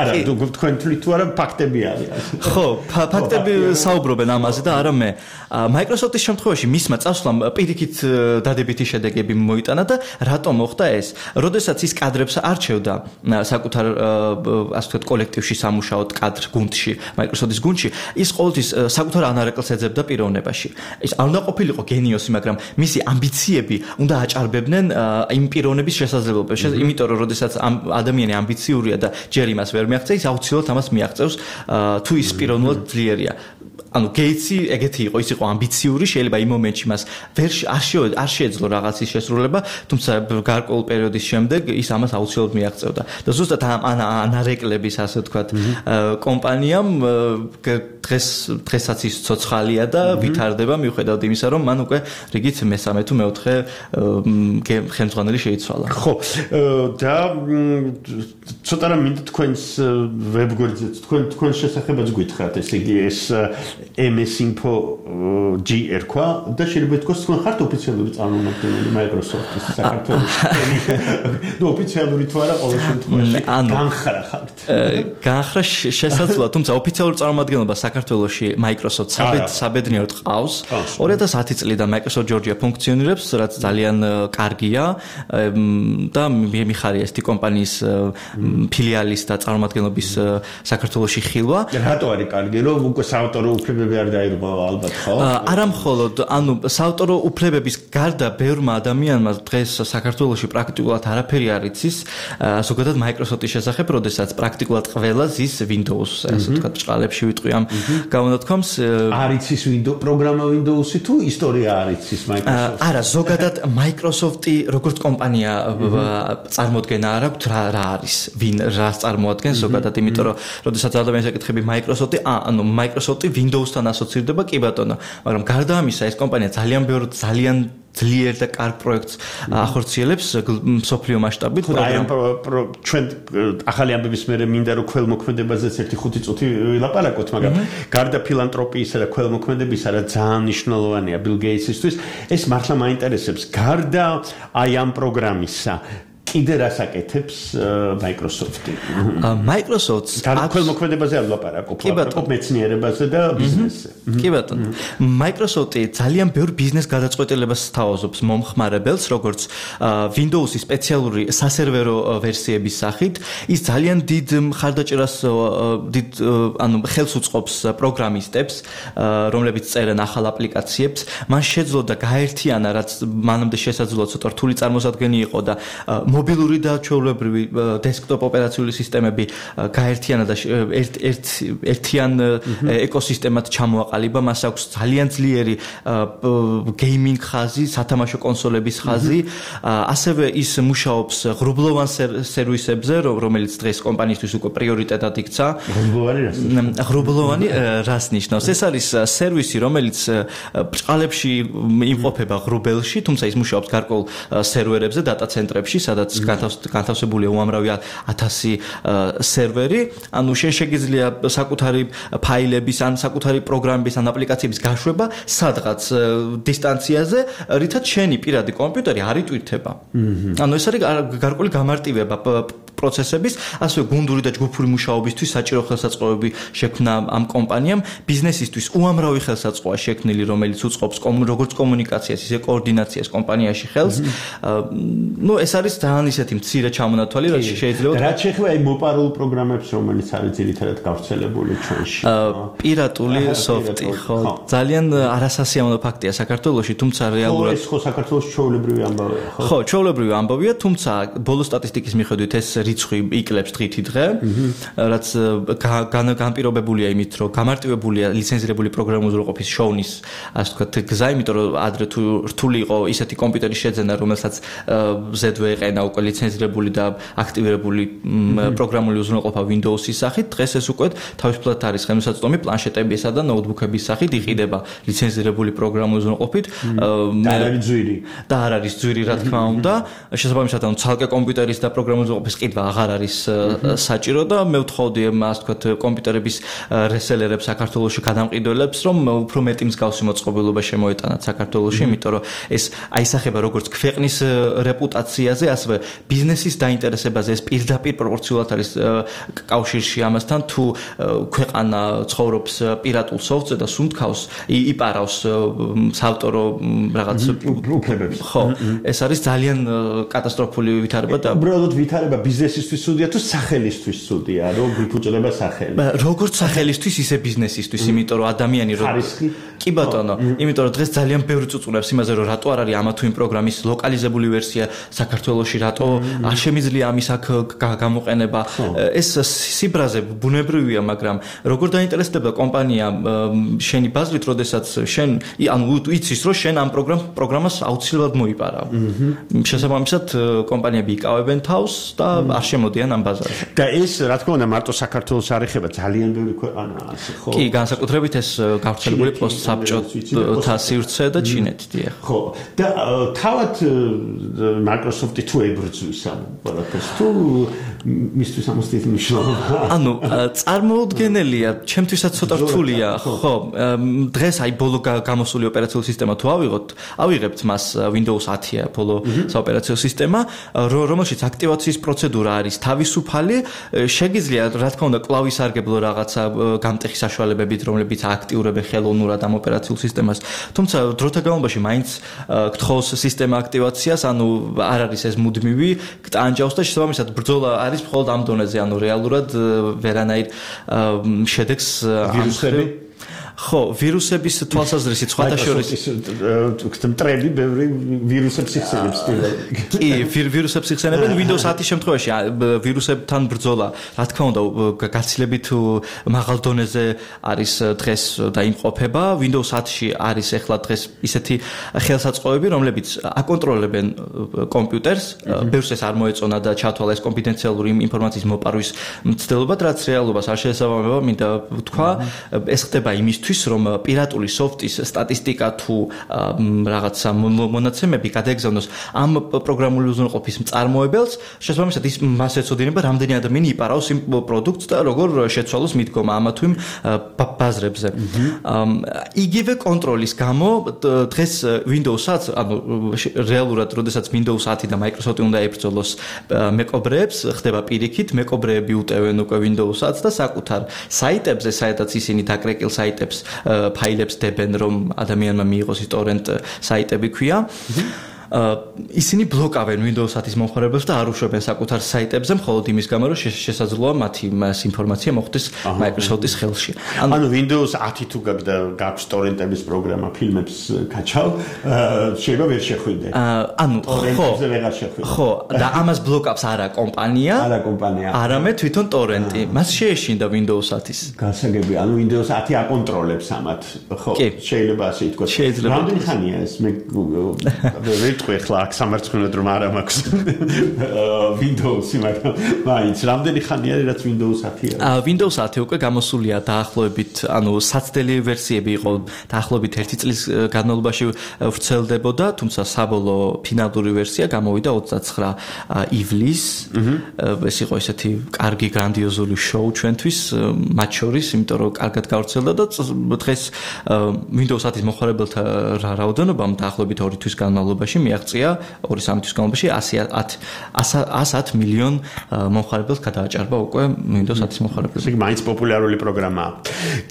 არა, თქვენ თვლით თუ არა ფაქტები არის. ხო, ფაქტები საუბრობენ ამაზე და არა მე. Microsoft-ის შემთხვევაში მისმა წასვლამ პირიქით დადებითი შედეგები მოიტანა და რატომ მოხდა ეს? როდესაც ის კადრებს არჩევდა საკუთარ ასე ვთქვათ კოლექტივში სამუშაოდ კადრ გუნდში, Microsoft-ის გუნდში, ის ყოველთვის საკუთარ ანარეკლს ეძებდა პიროვნებაში. ის არ უნდა ყოფილიყო გენიოსი, მაგრამ მისი ამბიციები უნდა აჭარბებდნენ იმ პიროვნების შესაძლებლობებს. იმიტომ რომ როდესაც ადამიანი ამბიციურია და ჯერ იმას ვერ მიაღწევს, ის აუცილებლად ამას მიაღწევს თუ ის პიროვნულად ძლიერია. ანუ გეიტსი ეგეთი იყო, ის იყო ამბიციური, შეიძლება იმ მომენტში მას ვერ არ შეეძლო რაღაცის შესრულება, თუმცა გარკვეულ პერიოდის შემდეგ ის ამას აუცილებლად მიაღწევდა. და ზუსტად ამ ანარეკლების ასე ვთქვათ კომპანიამ დღეს დღესაც ის ცოცხალია და ვითარდება მიუხედავად იმისა, რომ მან უკვე რიგით მესამე თუ მეოთხე ხელმძღვანელი შეიცვალა. ხო, და ცოტა რა მინდა თქვენს ვებგვერდზე თქვენ თქვენს შესახებაც გითხრათ, ესე იგი ეს ემ ეს Info ჯი ერქვა და შეიძლება თქვას თქვენ ხართ ოფიციალური წარმომადგენელი Microsoft-ის საქართველოში. ნუ ოფიციალური თუ არა ყოველ შემთხვევაში განხრა ხართ. განხრა შესაძლოა, თუმცა ოფიციალური წარმომადგენლობა საქართველოში Microsoft საბედნიეროდ ყავს. ორი ათას ათი წლიდან Microsoft Georgia ფუნქციონირებს, რაც ძალიან კარგია და მიხარია ეს კომპანიის ფილიალის და წარმომადგენლობის საქართველოში ხილვა. რატო არის კარგი, რომ უკვე საავტორო უფლებები არ დაირღვევა ალბათ, ხო? არა მხოლოდ, ანუ საავტორო უფლებების გარდა ბევრმა ადამიანმა დღეს საქართველოში პრაქტიკულად არაფერი არ იცის, ზოგადად Microsoft-ის შესახებ, როდესაც პრაქტიკულად ყველა ზის Windows, ასე ვთქვათ, ჭყალებში ვიტყვი ამ გამონათქვამს. არ იცის Windows პროგრამა Windows-ი თუ ისტორია არ იცის Microsoft? არა, ზოგადად Microsoft-ი როგორც კომპანია წარმოადგენა არ აქვს რა რა არის, ვინ რას წარმოადგენს ზოგადად, იმიტომ რომ როდესაც ადამიანს ეკითხები Microsoft-ი, ანუ Microsoft-ი Windows-თან ასოცირდება, კი ბატონო, მაგრამ გარდა ამისა ეს კომპანია ძალიან ბევრ ძალიან ძლიერ და კარგ პროექტს ახორციელებს მსოფლიო მასშტაბით. აი ამ ჩვენ ახალი ამბების მერე მინდა რომ ქველმოქმედებაზეც ერთი ხუთი წუთი ვილაპარაკოთ, მაგრამ გარდა ფილანტროპიისა და ქველმოქმედებისა, რა ძალიან მნიშვნელოვანია Bill Gates-ისთვის, ეს მართლა მაინტერესებს. გარდა აი ამ პროგრამისა კიდე რას აკეთებს Microsoft-ი? Microsoft-ს ქველმოქმედებაზე არ ვლაპარაკობ, ვაპარაკობ მეცნიერებაზე და ბიზნესზე. კი ბატონო. Microsoft-ი ძალიან ბევრ ბიზნეს გადაწყვეტილებას სთავაზობს მომხმარებელს, როგორც Windows-ის სპეციალური სასერვერო ვერსიების სახით. ის ძალიან დიდ მხარდაჭერას დიდ ანუ ხელს უწყობს პროგრამისტებს, რომლებიც წერენ ახალ აპლიკაციებს. მან შეძლო და გაერთიანა, რაც მანამდე შესაძლოა ცოტა რთული წარმოსადგენი იყო და მობილური და ჩვეულებრივი დესკტოპ ოპერაციული სისტემები გაერთიანა და ერთ ერთ ერთიან ეკოსისტემად ჩამოაყალიბა. მას აქვს ძალიან ძლიერი გეიმინგ ხაზი, სათამაშო კონსოლების ხაზი. ასევე ის მუშაობს ღრუბლოვან სერვისებზე, რომელიც დღეს კომპანიისთვის უკვე პრიორიტეტად იქცა. ღრუბლოვანი რას? ღრუბლოვანი რას ნიშნავს? ეს არის სერვისი, რომელიც ბრჭყალებში იმყოფება ღრუბელში, თუმცა ის მუშაობს გარკვეულ სერვერებზე, დატა ცენტრებში, სადაც განთავსებულია უამრავი ათასი სერვერი. ანუ შენ შეგიძლია საკუთარი ფაილების ან საკუთარი პროგრამების ან აპლიკაციების გაშვება სადღაც დისტანციაზე, რითაც შენი პირადი კომპიუტერი არ იტვირთება. ანუ ეს არის გარკვეული გამარტივება პროცესების, ასევე გუნდური და ჯგუფური მუშაობისთვის საჭირო ხელსაწყოები შექმნა ამ კომპანიამ. ბიზნესისთვის უამრავი ხელსაწყოა შექმნილი, რომელიც უწყობს როგორც კომუნიკაციას, ისე კოორდინაციას კომპანიაში ხელს. ნუ ეს არის ძალიან ისეთი მცირე ჩამონათვალი, რაც შეიძლება რაც შეეხება აი მოპარულ პროგრამებს, რომელიც არის ძირითადად გავრცელებული ჩვენში. პირატული სოფტი, ხო, ძალიან არასასიამოვნო ფაქტია საქართველოში, თუმცა რეალურად ეს ხო საქართველოს ჩვეულებრივი ამბავია, ხო? ხო, ჩვეულებრივი ამბავია, თუმცა ბოლო სტატისტიკის მიხედვით ეს რიცხვი იკლებს დღითი დღე, რაც განპირობებულია იმით, რომ გამარტივებულია ლიცენზირებული პროგრამული ყოფის შოვნის, ასე ვთქვათ, გზა, იმიტომ რომ ადრე თუ რთული იყო ისეთი კომპიუტერის შეძენა, რომელსაც ზედვე ეყენა უკვე ლიცენზირებული და აქტივირებული პროგრამული უზრუნველყოფა Windows-ის სახით. დღეს ეს უკვე თავისუფლად არის ხელმისაწვდომი პლანშეტებისა და ნოუთბუქების სახით იყიდება ლიცენზირებული პროგრამული უზრუნველყოფით. და არ არის ძვირი. და არ არის ძვირი, რა თქმა უნდა. შესაბამისად, ანუ ცალკე კომპიუტერის და პროგრამული უზრუნველყოფის ყიდვა აღარ არის საჭირო და მე ვთხოვდი მას თქვათ კომპიუტერების რესელერებს საქართველოში გადამყიდველებს რომ უფრო მეტი მსგავსი მოწყობილობა შემოეტანათ საქართველოში, იმიტომ რომ ეს აისახება როგორც ქვეყნის რეპუტაციაზე, ასევე ბიზნესის დაინტერესებაზე, ეს პირდაპირ პროპორციულად არის კავშირში ამასთან, თუ ქვეყანა ცხოვრობს პირატულ სოფტზე და სუნთქავს, იპარავს საავტორო რაღაც უფლებებს. ხო, ეს არის ძალიან კატასტროფული ვითარება და უბრალოდ ვითარება ბიზნესისთვის ცუდია თუ სახელისთვის ცუდია, რომ გვიფუჭდება სახელი. როგორც სახელისთვის, ისე ბიზნესისთვის, იმიტომ რომ ადამიანი რო კი ბატონო, იმიტომ რომ დღეს ძალიან ბევრი წუწუნებს იმაზე, რომ რატო არ არის ამა თუ იმ პროგრამის ლოკალიზებული ვერსია საქართველოში, რატო არ შემიძლია ამის აქ გამოყენება. ეს სიბრაზე ბუნებრივია, მაგრამ როგორ დაინტერესდება კომპანია შენი ბაზრით, როდესაც შენ ანუ იცის, რომ შენ ამ პროგრამას აუცილებლად მოიპარავ. შესაბამისად, კომპანიები იკავებენ თავს და არ შემოდიან ამ ბაზარში. და ეს, რა თქმა უნდა, მარტო საქართველოს არ ეხება, ძალიან ბევრი ქვეყანაა ასე, ხო? კი, განსაკუთრებით ეს გავრცელებული პოსტსაბჭოთა სივრცე და ჩინეთი, დიახ. ხო. და თავად Microsoft-ი თუ ებრძვის ამ ყველაფერს, თუ მისთვის ამოსდით მნიშვნელობა. ანუ წარმოუდგენელია, ჩემთვისაც ცოტა რთულია, ხო. დღეს აი ბოლო გამოსული ოპერაციული სისტემა თუ ავიღოთ, ავიღებთ მას Windows ათია ბოლო საოპერაციო სისტემა, რომელშიც აქტივაციის პროცედურა არის თავისუფალი, შეგიძლია, რა თქმა უნდა, კლავისარგებლო რაღაცა გამტეხი საშუალებებით, რომლებიც აქტიურებენ ხელოვნურად ამ ოპერაციულ სისტემას. თუმცა დროთა განმავლობაში მაინც გთხოვს სისტემა აქტივაციას, ანუ არ არის ეს მუდმივი, გტანჯავს და შესაბამისად ბრძოლა არის მხოლოდ ამ დონეზე, ანუ რეალურად ვერანაირ შედეგს ვირუსები ხო, ვირუსების თვალსაზრისით სხვათა შორის მტრები ბევრი ვირუსებს იხსენებს. კი, ვირუსებს იხსენებენ Windows ათის შემთხვევაში ვირუსებთან ბრძოლა, რა თქმა უნდა, გაცილებით მაღალ დონეზე არის დღეს და იმყოფება. Windows ათში არის ახლა დღეს ისეთი ხელსაწყოები, რომლებიც აკონტროლებენ კომპიუტერს, ბევრს ეს არ მოეწონა და ჩათვალა ეს კონფიდენციალური ინფორმაციის მოპარვის მცდელობა, რაც რეალობას არ შეესაბამება, მინდა ვთქვა, ეს ხდება იმისთვის რომ პირატული სოფტის სტატისტიკა თუ რაღაცა მონაცემები გადაეგზავნოს ამ პროგრამული უზრუნველყოფის მწარმოებელს, შესაბამისად ის მას ეცოდინება, რამდენი ადამიანი იპარავს იმ პროდუქტს და როგორ შეცვალოს მიდგომა ამა თუ იმ ბაზრებზე. იგივე კონტროლის გამო დღეს Windows-აც, ანუ რეალურად, როდესაც Windows ათი და Microsoft-ი უნდა ებრძოლოს მეკობრეებს, ხდება პირიქით, მეკობრეები უტევენ უკვე Windows-აც და საკუთარ საიტებზე, საერთოდ ისინი დაკრეკილ საიტებს ფაილებს დებენ, რომ ადამიანმა მიიღოს ის ტორენტ საიტები ქვია. ისინი ბლოკავენ Windows ათის მომხმარებელს და არ უშვებენ საკუთარ საიტებზე, მხოლოდ იმის გამო, რომ შესაძლოა მათი ინფორმაცია მოხვდეს Microsoft-ის ხელში. ანუ Windows ათი თუ გაქვს ტორენტების პროგრამა, ფილმებს კაჩავ, შეიძლება ვერ შეხვიდე. ანუ ხო, ვეღარ შეხვიდე. ხო, და ამას ბლოკავს არა კომპანია, არა კომპანია, არამედ თვითონ ტორენტი. მას შეეშინდა Windows ათის. გასაგები, ანუ Windows ათი აკონტროლებს ამათ, ხო, შეიძლება ასე ითქვას. რამდენი ხანია ეს მე ვიტყვი ახლა აქ სამარცხინოდ რომ არ მაქვს Windows-ი, მაგრამ მაინც რამდენი ხანია რაც Windows ათია? Windows ათი უკვე გამოსულია დაახლოებით, ანუ საცდელი ვერსიები იყო დაახლოებით ერთი წლის განმავლობაში ვრცელდებოდა, თუმცა საბოლოო ფინალური ვერსია გამოვიდა ოცდაცხრა ივლისს. ეს იყო ესეთი კარგი გრანდიოზული შოუ ჩვენთვის, მათ შორის, იმიტომ რომ კარგად გავრცელდა და დღეს Windows ათის მომხმარებელთა რაოდენობამ დაახლოებით ორი თვის განმავლობაში მიაღწია ორი სამი თვის განმავლობაში ათს ათ მილიონ მომხმარებელს გადააჭარბა უკვე Windows ათის მომხმარებელს. ეს მაინც პოპულარული პროგრამაა.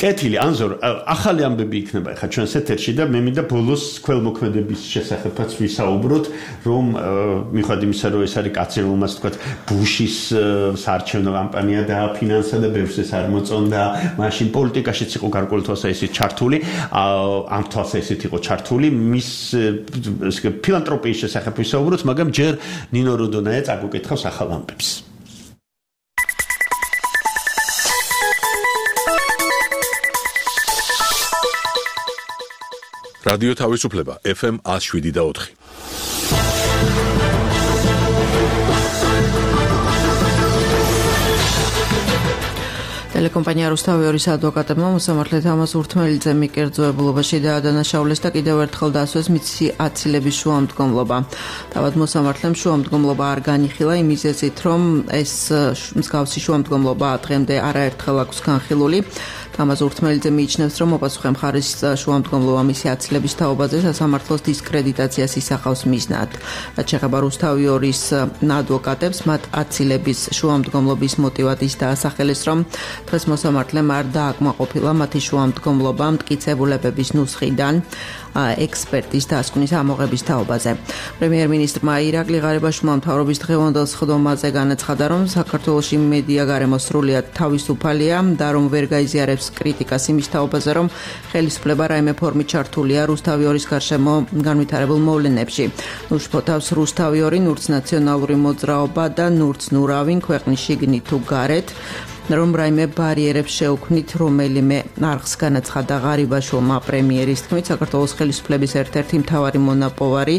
კეთილი, ანზორ, ახალი ამბები იქნება ახლა ჩვენს ეთერში და მე მინდა ბოლოს ქველმოქმედების შესახებაც ვისაუბროთ, რომ მიხვდით იმისა, რომ ეს არის კაცი, რომელმაც თქვა ბუშის საარჩევნო კამპანია დააფინანსა და ბევრს ეს არ მოწონდა, მაშინ პოლიტიკაშიც იყო გარკვეული თვალსაზრისით ჩართული, ამ თვალსაზრისით იყო ჩართული, მის ფილანტროპიის შესახებ ვისაუბროთ, მაგრამ ჯერ ნინო როდონაია წაგუკითხავს ახალ ამბებს. რადიო თავისუფლება ეფ ემ ათს შვიდი და ოთხი. ტელეკომპანია რუსთავიორის ადვოკატებმა მოსამართლე თამაზ ურთმელიძე მიკერძოებულობაში დაადანაშაულეს და კიდევ ერთხელ დაასვეს მის აცილების შუამდგომლობა. თავად მოსამართლემ შუამდგომლობა არ განიხილა იმ მიზეზით, რომ ეს მსგავსი შუამდგომლობა დღემდე არაერთხელ აქვს განხილული. თამაზ ურთმელიძე მიიჩნევს, რომ მოპასუხე მხარის შუამდგომლობა მისი აცილების თაობაზე სასამართლოს დისკრედიტაციას ისახავს მიზნად. რაც შეეხება რუსთავიორის ადვოკატებს, მათ აცილების შუამდგომლობის მოტივად ის დაასახელეს, რომ დღეს მოსამართლემ არ დააკმაყოფილა მათი შუამდგომლობა მტკიცებულებების ნუსხიდან ექსპერტის დასკვნის ამოღების თაობაზე. პრემიერ-მინისტრმა ირაკლი ღარიბაშვილმა მთავრობის დღევანდელ სხდომაზე განაცხადა, რომ საქართველოში მედია გარემო სრულიად თავისუფალია და რომ ვერ გაიზიარებს კრიტიკას იმის თაობაზე, რომ ხელისუფლება რაიმე ფორმით ჩართულია რუსთავიორის გარშემო განვითარებულ მოვლენებში. უშფოთავს რუსთავიორი, ნურც ნაციონალური მოძრაობა და ნურც ნურავინ ქვეყნის შიგნით თუ გარეთ. რომ რაიმე ბარიერებს შეუქმნით რომელიმე არხს განაცხადა ღარიბაშვილმა პრემიერის თქმით საქართველოს ხელისუფლების ერთ-ერთი მთავარი მონაპოვარი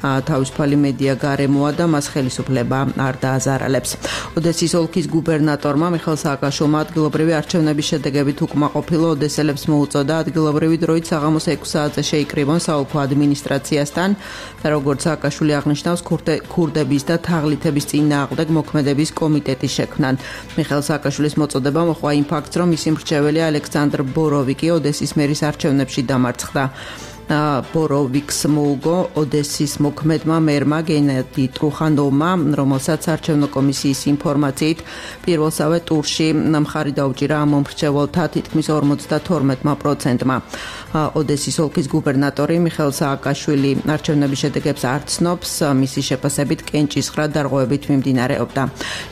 თავისუფალი მედია გარემოა და მას ხელისუფლება არ დააზარალებს. ოდესის ოლქის გუბერნატორმა მიხეილ სააკაშვილმა ადგილობრივი არჩევნების შედეგებით უკმაყოფილო ოდესელებს მოუწოდა ადგილობრივი დროით საღამოს ექვსი საათზე შეიკრიბონ საოლქო ადმინისტრაციასთან და როგორც სააკაშვილი აღნიშნავს ქურდების და თაღლითების წინააღმდეგ მოქმედების კომიტეტი შექმნან. მიხეილ სააკაშვილის მოწოდება მოხდა იმ ფაქტს, რომ მისი მრჩეველი ალექსანდრ ბოროვიკი ოდესის მერის არჩევნებში დამარცხდა. ბოროვიკს მოუგო ოდესის მოქმედმა მერმა გენადი ტრუხანოვმა, რომელსაც არჩევნო კომისიის ინფორმაციით პირველსავე ტურში მხარი დაუჭირა ამ მომრჩეველთა თითქმის ორმოცდათორმეტ პროცენტმა. ოდესის ოლქის გუბერნატორი მიხეილ სააკაშვილი არჩევნების შედეგებს არ ცნობს, მისი შეფასებით კენჭისხრა დარღვევებით მიმდინარეობდა.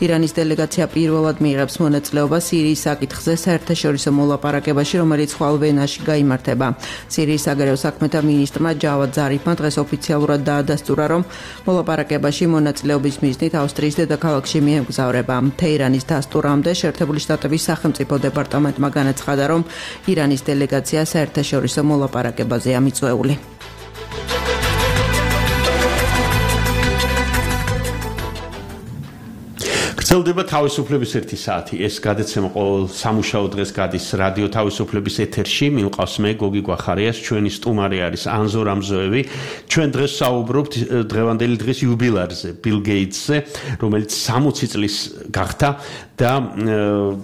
ირანის დელეგაცია პირველად მიიღებს მონაწილეობას სირიის საკითხზე საერთაშორისო მოლაპარაკებაში, რომელიც ხვალ ვენაში გაიმართება. სირიის საგარეო საქმეთა მინისტრმა ჯავად ზარიფმა დღეს ოფიციალურად დაადასტურა, რომ მოლაპარაკებაში მონაწილეობის მიზნით ავსტრიის დედაქალაქში მიემგზავრება. თეირანის დასტურამდე შეერთებული შტატების სახელმწიფო დეპარტამენტმა განაცხადა, რომ ირანის დელეგაცია საერთაშორისო მოლაპარაკებაზეა მიწვეული. გრძელდება თავისუფლების ერთი საათი. ეს გადაცემა ყოველ სამუშაო დღეს გადის რადიო თავისუფლების ეთერში. მიმყავს მე გოგი გვახარიას, ჩვენი სტუმარი არის ანზორ ამზოევი. ჩვენ დღეს საუბრობთ დღევანდელი დღის იუბილარზე, ბილ გეიტსზე, რომელიც სამოცი წლის გახდა და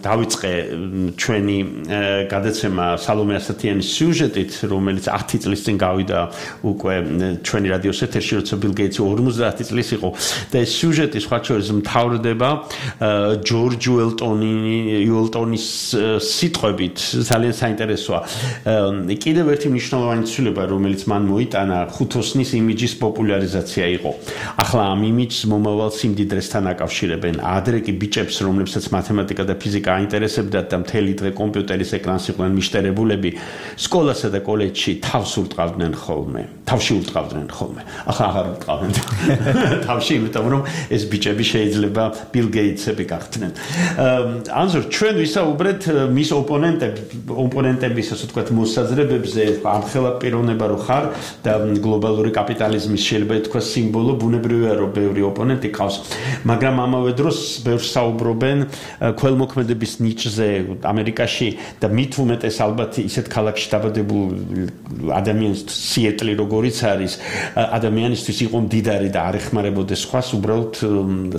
დავიწყე ჩვენი გადაცემა სალომე ასათიანის სიუჟეტით, რომელიც ათი წლის წინ გავიდა უკვე ჩვენი რადიოს ეთერში, როცა ბილ გეიტსი ორმოცდაათი წლის იყო და ეს სიუჟეტი სხვა შორის მთავრდება ჯორჯ უელტონის სიტყვებით. ძალიან საინტერესოა. კიდევ ერთი მნიშვნელოვანი ცვლილება, რომელიც მან მოიტანა, ხუთოსნის იმიჯის პოპულარიზაცია იყო. ახლა ამ იმიჯს მომავალ სიმდიდრესთან აკავშირებენ. ადრე კი ბიჭებს, რომლებსაც მათემატიკა და ფიზიკა აინტერესებდათ და მთელი დღე კომპიუტერის ეკრანს იყვნენ მიშტერებულები, სკოლასა და კოლეჯში თავს ურტყავდნენ ხოლმე. თავში ურტყავდნენ ხოლმე. ახლა აღარ ურტყავენ თავში, იმიტომ რომ ეს ბიჭები შეიძლება ბილ გეიტსები გახდნენ. ანზორ, ჩვენ ვისაუბრეთ მის ოპონენტების, ასე ვთქვათ, მოსაზრებებზე, ამხელა პიროვნება რო ხარ და გლობალური კაპიტალიზმის შეიძლება ითქვა სიმბოლო, ბუნებრივია რომ ბევრი ოპონენტი ყავს, მაგრამ ამავე დროს ბევრს საუბრობენ ქველმოქმედების ნიჭზე ამერიკაში და მით უმეტეს ალბათ ისეთ ქალაქში დაბადებულ ადამიანს სიეტლი როგორიც არის, ადამიანისთვის იყო მდიდარი და არ ეხმარებოდეს სხვას, უბრალოდ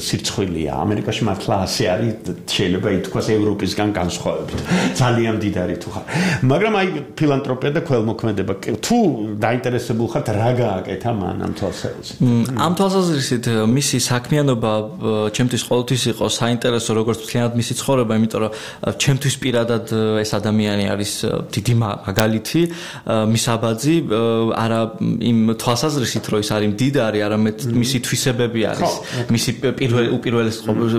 სირცხვილია. ამერიკაში მართლა ასე არის, შეიძლება ითქვას ევროპისგან განსხვავებით. ძალიან მდიდარი თუ ხარ. მაგრამ აი ფილანთროპია და ქველმოქმედება, თუ დაინტერესებულ ხართ, რა გააკეთა მან ამ თვალსაზრისით? ამ თვალსაზრისით მისი საქმიანობა ჩემთვის ყოველთვის იყო საინტერესო, როგორც მთლიანად მისი ცხოვრება, იმიტომ რომ ჩემთვის პირადად ეს ადამიანი არის დიდი მაგალითი, მის აბაძი, არა იმ თვალსაზრისით, რომ ის არის მდიდარი, არამედ მისი თვისებები არის, მისი უპირველეს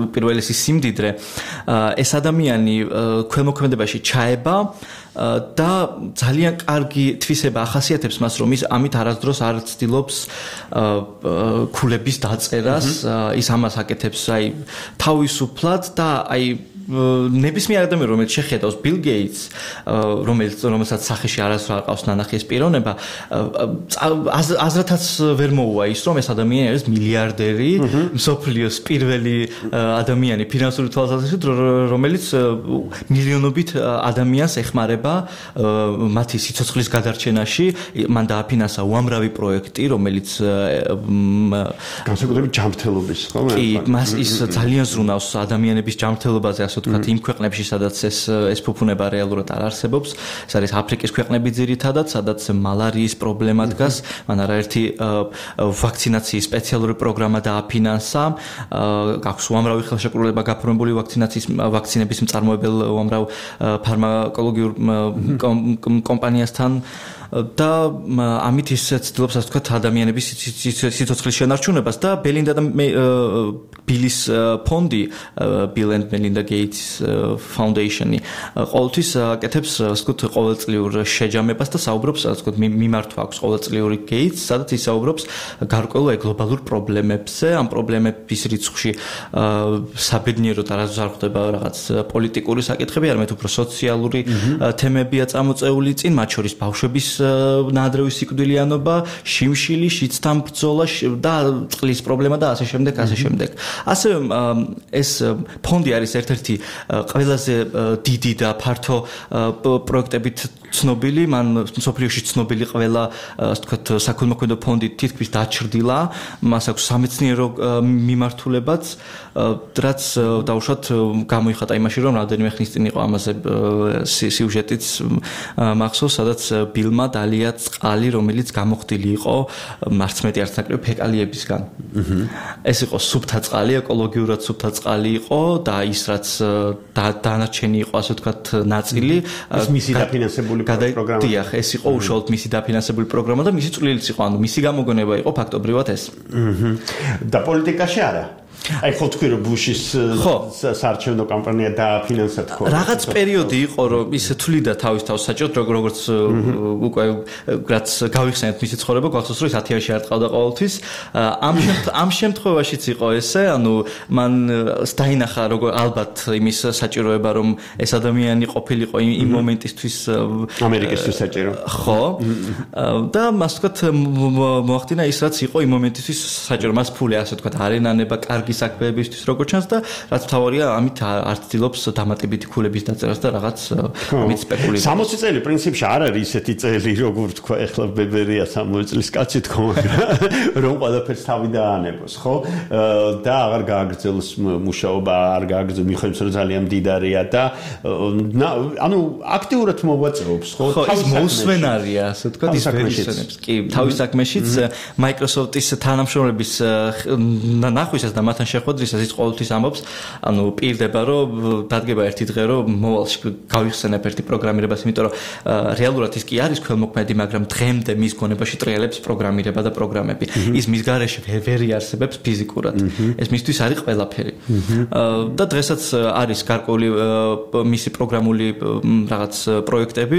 უპირველესი სიმდიდრე. ეს ადამიანი ქველმოქმედებაში ჩაება და ძალიან კარგი თვისება ახასიათებს მას, რომ ის ამით არასდროს არ ცდილობს ქულების დაწერას, ის ამას აკეთებს აი თავისუფლად და აი ნებისმიერ ადამიანს რომელიც შეხედავს Bill Gates რომელიც რომელსაც სახეში არასდროს არ ყავს ნანახი ეს პიროვნება აზრათაც ვერ მოუვა ის რომ ეს ადამიანი არის მილიარდერი მსოფლიოს პირველი ადამიანი ფინანსური თვალსაზრისით რომელიც მილიონობით ადამიანს ეხმარება მათი სიცოცხლის გადარჩენაში მან დააფინანსა უამრავი პროექტი რომელიც განსაკუთრებით ჯანმრთელობის ხო კი მას ის ძალიან ზრუნავს ადამიანების ჯანმრთელობაზე ასე ვთქვათ იმ ქვეყნებში სადაც ეს ეს ფუფუნება რეალურად არ არსებობს ეს არის აფრიკის ქვეყნები ძირითადად სადაც მალარიის პრობლემა დგას მან არაერთი ვაქცინაციის სპეციალური პროგრამა დააფინანსა გაქვს უამრავი ხელშეკრულება გაფორმებული ვაქცინაციის ვაქცინების მწარმოებელ უამრავ ფარმაკოლოგიურ კომპანიასთან და ამით ის ცდილობს ასე ვთქვათ ადამიანების სიცოცხლის შენარჩუნებას და ბელინდა და ბილის ფონდი Bill and Melinda Gates Foundation-ი ყოველთვის აკეთებს ასე ვთქვათ ყოველწლიურ შეჯამებას და საუბრობს ასე ვთქვათ მიმართვა აქვს ყოველწლიური Gates სადაც ის საუბრობს გარკვეულ გლობალურ პრობლემებზე ამ პრობლემების რიცხვში საბედნიეროდ არასდროს არ ხდება რაღაც პოლიტიკური საკითხები არამედ უფრო სოციალური თემებია წამოწეული წინ მათ შორის ბავშვების ნაადრევი სიკვდილიანობა, შიმშილი, შიცთან ბრძოლა და წყლის პრობლემა და ასე შემდეგ, ასე შემდეგ. ასევე ეს ფონდი არის ერთ-ერთი ყველაზე დიდი და ფართო პროექტებით ცნობილი, მან მსოფლიოში ცნობილი ყველა, ასე ვთქვათ, საქველმოქმედო ფონდი თითქმის დაჩრდილა, მას აქვს სამეცნიერო მიმართულებაც, რაც დაუშვათ გამოიხატა იმაში, რომ რამდენიმე ხნის წინ იყო ამაზე სიუჟეტიც მახსოვს, სადაც ბილმა დალია წყალი, რომელიც გამოხდილი იყო მარცმეტი არც ნაკლები ფეკალიებისგან. ეს იყო სუფთა წყალი, ეკოლოგიურად სუფთა წყალი იყო და ის რაც დანარჩენი იყო, ასე ვთქვათ, ნაწილი ეს მისი დაფინანსებული პროგრამა. დიახ, ეს იყო უშუალოდ მისი დაფინანსებული პროგრამა და მისი წვლილიც იყო, ანუ მისი გამოგონება იყო ფაქტობრივად ეს. და პოლიტიკაში არა. აი ხო თქვი რომ ბუშის საარჩევნო კამპანია დააფინანსა თქო. რაღაც პერიოდი იყო რომ ის თვლიდა თავის თავს საჭიროდ როგორც უკვე რაც გავიხსენეთ მისი ცხოვრება გახსოვს რომ ის ათიანში არ ტყავდა ყოველთვის. ამ ამ შემთხვევაშიც იყო ესე, ანუ მან დაინახა როგორ ალბათ იმის საჭიროება რომ ეს ადამიანი ყოფილიყო იმ მომენტისთვის ამერიკისთვის საჭირო. ხო. და მას ვთქვათ მოახდინა ის რაც იყო იმ მომენტისთვის საჭირო. მას ფული ასე ვთქვათ არენანება კარგი საქმეებისთვის როგორ ჩანს და რაც თავარია ამით არ ცდილობს დამატებითი ქულების დაწერას და რაღაც ამით სპეკულირებს. სამოცი წელი პრინციპში არ არის ისეთი წელი როგორ თქვა ეხლა ბებერია სამოცი წლის კაცი თქო რომ ყველაფერს თავი დაანებოს ხო და აღარ გააგრძელოს მუშაობა არ გააგრძელოს მიხედავს რომ ძალიან მდიდარია და ანუ აქტიურად მოღვაწეობს ხო თავის მოусვენარია ასე ვთქვათ ის ვერისენებს კი თავის საქმეშიც Microsoft-ის თანამშრომლების ნახვისას და მათთან შეხვედრისას ის ყოველთვის ამბობს, ანუ პირდება რომ დადგება ერთი დღე რომ მოვალში გავიხსენებ ერთი პროგრამირებას, იმიტომ რომ რეალურად ის კი არის ქველმოქმედი, მაგრამ დღემდე მის გონებაში ტრიალებს პროგრამირება და პროგრამები. ის მის გარეშე ვერ იარსებებს ფიზიკურად. ეს მისთვის არის ყველაფერი. და დღესაც არის გარკვეული მისი პროგრამული რაღაც პროექტები,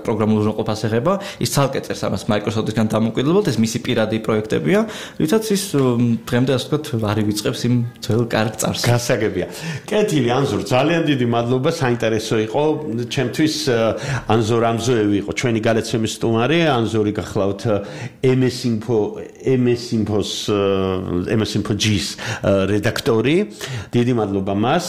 პროგრამულ უზრუნველყოფას ეხება, ის ცალკე წერს ამას Microsoft-ისგან დამოუკიდებლად, ეს მისი პირადი პროექტებია, რითაც ის დღემდე ასე ვთქვათ არ ივიწყებს იმ ძველ კარგ წარს. გასაგებია. კეთილი ანზორ, ძალიან დიდი მადლობა, საინტერესო იყო. ჩემთვის ანზორ ამზოევი იყო ჩვენი გადაცემის სტუმარი, ანზორი გახლავთ ემ ეს Info ემ ეს Info-s ემ ეს Info G-s რედაქტორი. დიდი მადლობა მას.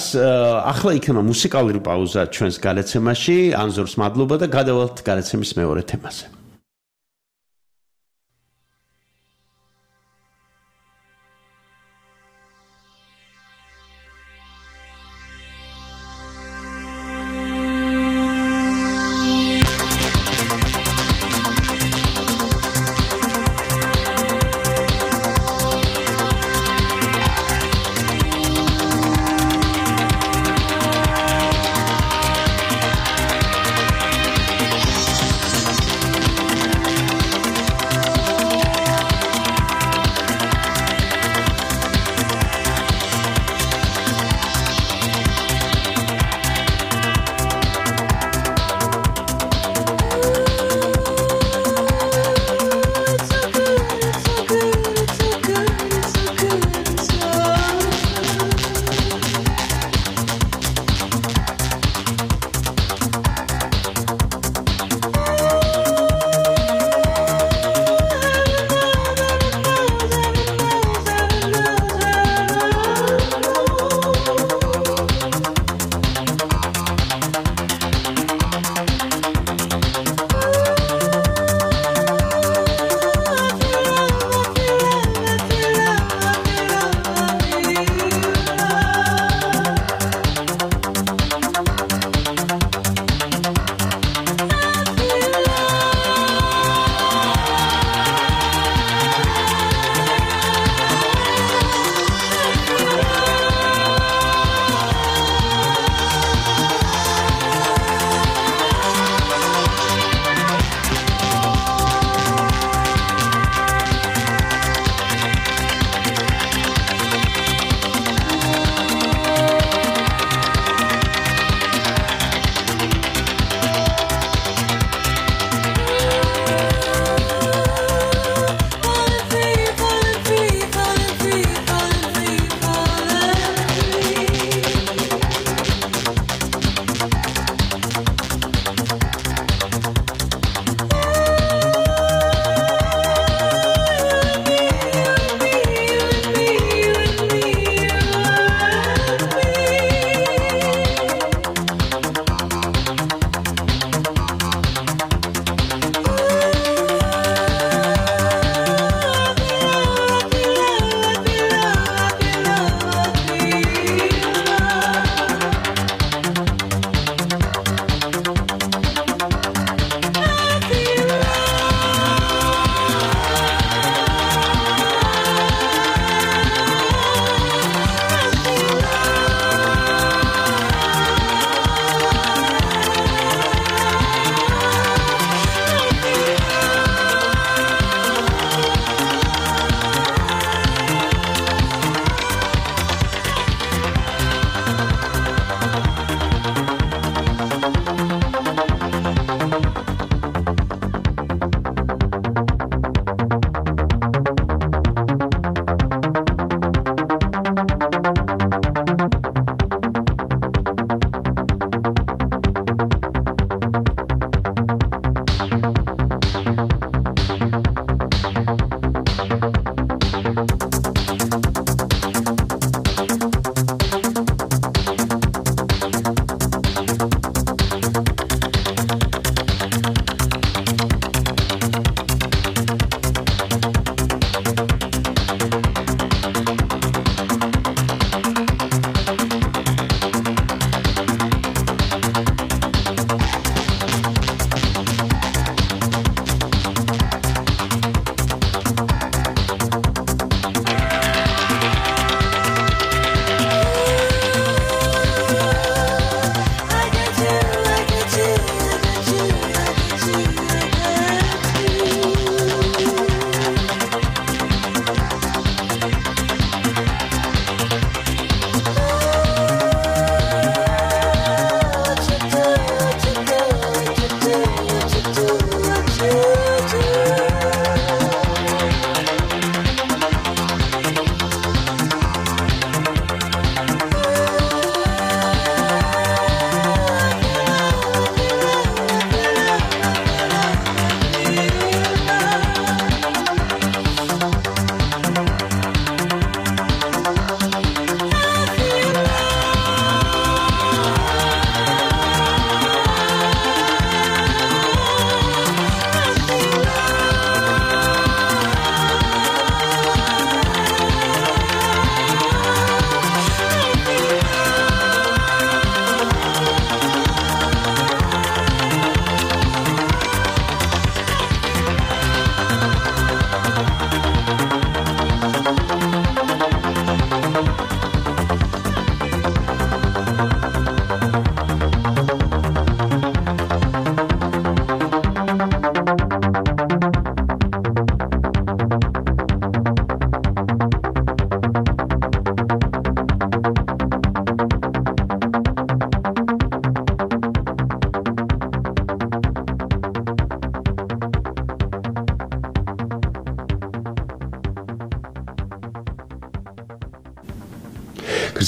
ახლა იქნება მუსიკალური პაუზა ჩვენს გადაცემაში. ანზორს მადლობა და გადავალთ გადაცემის მეორე თემაზე.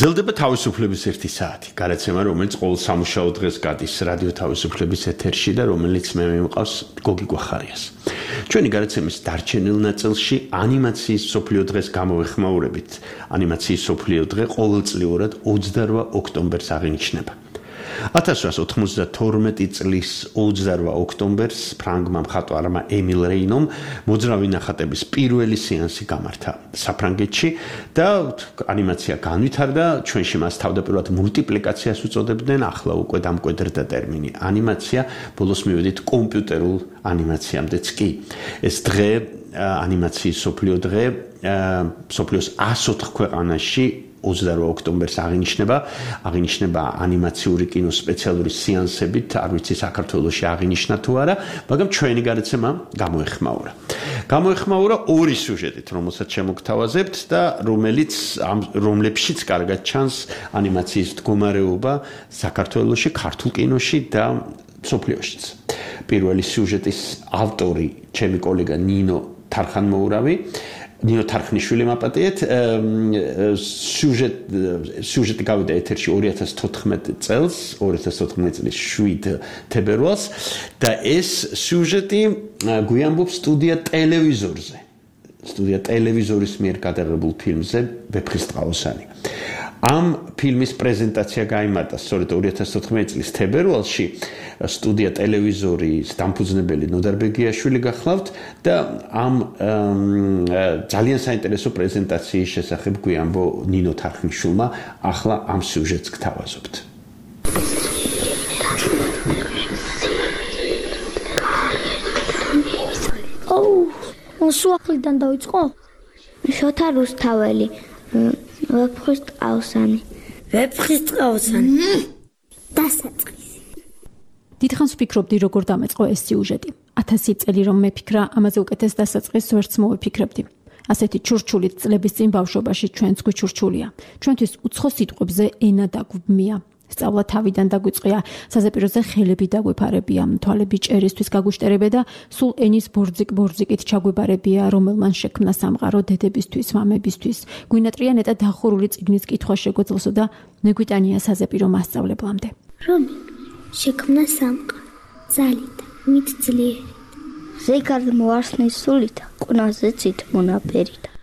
გრძელდება თავისუფლების ერთი საათი. გადაცემა, რომელიც ყოველ სამუშაო დღეს გადის რადიო თავისუფლების ეთერში და რომელიც მე მიმყავს გოგი გვახარიას. ჩვენი გადაცემის დარჩენილ ნაწილში ანიმაციის მსოფლიო დღეს გამოვეხმაურებით. ანიმაციის მსოფლიო დღე ყოველწლიურად ოცდაორ ოქტომბერს აღინიშნება. ათას ცხრაასი ოთხმოცდათორმეტი წლის ოცდაორ ოქტომბერს ფრანგმა მხატვარმა ემილ რეინომ მოძრავი ნახატების პირველი სეანსი გამართა საფრანგეთში და ანიმაცია განვითარდა, ჩვენში მას თავდაპირველად მულტიპლიკაციას უწოდებდნენ, ახლა უკვე დამკვიდრდა ტერმინი ანიმაცია, ბოლოს მივედით კომპიუტერულ ანიმაციამდეც კი. ეს დღე, ანიმაციის მსოფლიო დღე, მსოფლიოს ასოთხ ქვეყანაში ოცდაორ ოქტომბერს აღინიშნება, აღინიშნება ანიმაციური კინოს სპეციალური სეანსებით, არ ვიცი საქართველოში აღინიშნა თუ არა, მაგრამ ჩვენი გადაცემა გამოეხმაურა. გამოეხმაურა ორი სიუჟეტით, რომელსაც შემოგთავაზებთ და რომელიც რომლებშიც კარგად ჩანს ანიმაციის მდგომარეობა საქართველოში, ქართულ კინოში და მსოფლიოშიც. პირველი სიუჟეტის ავტორი, ჩემი კოლეგა ნინო თარხანმოურავი, ნინო თარხნიშვილი მაპატიეთ, სიუჟეტ სიუჟეტი გავიდა ეთერში ორი ათას თოთხმეტი წელს, ორი ათას თოთხმეტი წლის შვიდ თებერვალს და ეს სიუჟეტი გვიამბობს სტუდია ტელევიზორზე. სტუდია ტელევიზორის მიერ გადაღებულ ფილმზე ვეფხისტყაოსანი. ამ ფილმის პრეზენტაცია გაიმართა სწორედ ორი ათას თოთხმეტი წლის თებერვალში. სტუდია ტელევიზორის დამფუძნებელი ნოდარ ბეგიაშვილი გახლავთ და ამ ძალიან საინტერესო პრეზენტაციის შესახებ გვიამბო ნინო თარხნიშვილმა, ახლა ამ სიუჟეტს გთავაზობთ. ოუ, სუახლიდან დავიწყო? შოთა რუსთაველი. ვეფხისტყაოსანი. ვეფხისტყაოსანი. დასაწყისი. დიდხანს ვფიქრობდი, როგორ დამეწყო ეს სიუჟეტი. ათასი წელი რომ მეფიქრა, ამაზე უკეთეს დასაწყისს ვერც მოვიფიქრებდი. ასეთი ჩურჩული წლების წინ ბავშვობაში ჩვენც გვიჩურჩულია. ჩვენთვის უცხო სიტყვებზე ენა დაგვბმია. სწავლა თავიდან დაგვიწყია, საზეპიროზე ხელები დაგვეფარებია, თვალები ჭერისთვის გაგვიშტერებია და სულ ენის ბორძიკ-ბორძიკით ჩაგვებარებია, რომელმან შექმნა სამყარო დედებისთვის, მამებისთვის. გვინატრია ნეტა დახურული წიგნის კითხვა შეგვეძლოსო და მეგვიტანია საზეპირო მასწავლებლამდე. რომი შექმნა სამყარო ძალით, მით ძლიერით. ზეგარდ მოარსნის სულით, ყნაზე ცით მონაფერით.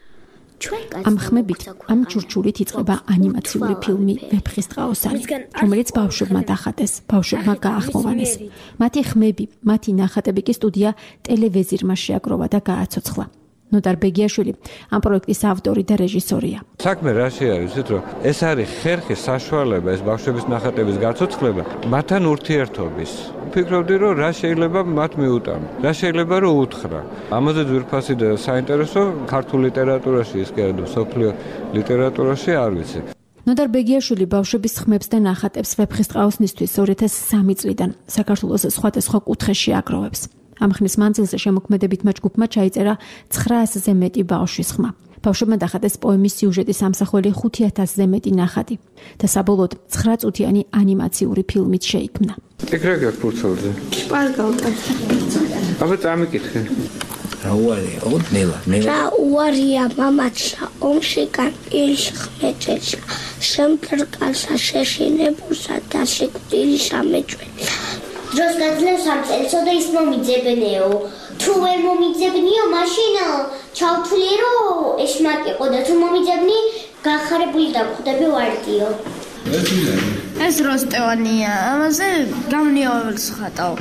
ამ ხმებით, ამ ჩურჩულით იწყება ანიმაციური ფილმი ვეფხისტყაოსანი, რომელიც ბავშვებმა დახატეს, ბავშვებმა გაახმოვანეს. მათი ხმები, მათი ნახატები კი სტუდია ტელევიზირმა შეაგროვა და გააცოცხლა. ნოდარ ბეგიაშვილი ამ პროექტის ავტორი და რეჟისორია. საქმე რაში არის, იცით რომ ეს არის ხერხი საშუალება, ეს ბავშვების ნახატების გაცოცხლება, მათთან ურთიერთობის. ვფიქრობდი რომ რა შეიძლება მათ მიუტანო, რა შეიძლება რომ უთხრა. ამაზე ძვირფასი და საინტერესო ქართულ ლიტერატურაში, ის კი არა მსოფლიო ლიტერატურაში არ ვიცი. ნოდარ ბეგიაშვილი ბავშვების ხმებს და ნახატებს ვეფხისტყაოსნისთვის ორი ათას სამი წლიდან საქართველოს სხვადასხვა კუთხეში აგროვებს. ამ ხნის მანძილზე შემოქმედებით მათ ჯგუფმა ჩაიწერა ცხრაასზე მეტი ბავშვის ხმა. ბავშვებმა დახატეს პოემის სიუჟეტის ამსახველი ხუთი ათასზე მეტი ნახატი და საბოლოოდ ცხრაწუთიანი ანიმაციური ფილმით შეიქმნა. ეგ რა გაქვს ფურცელზე? შპარგალტა. აბა წამიკითხე. რა უარია, ოდ ნელა, ნელა. რა უარია მამაჩა, ომში კანპილში ხმეჭეჩა, შემფრკალსა შეშინებულსა და შეკვდილი სამეჭველი. დროს გაძლევს ამ წელსო და ის მომიძებნეო. თუ ვერ მომიძებნიო, მაშინ ჩავთვლიერო ეშმაკიყო და თუ მომიძებნი, გახარებული დავხვდები ვარდიო. ეს როსტევანია, ამაზე გამნიაველს ხატავ.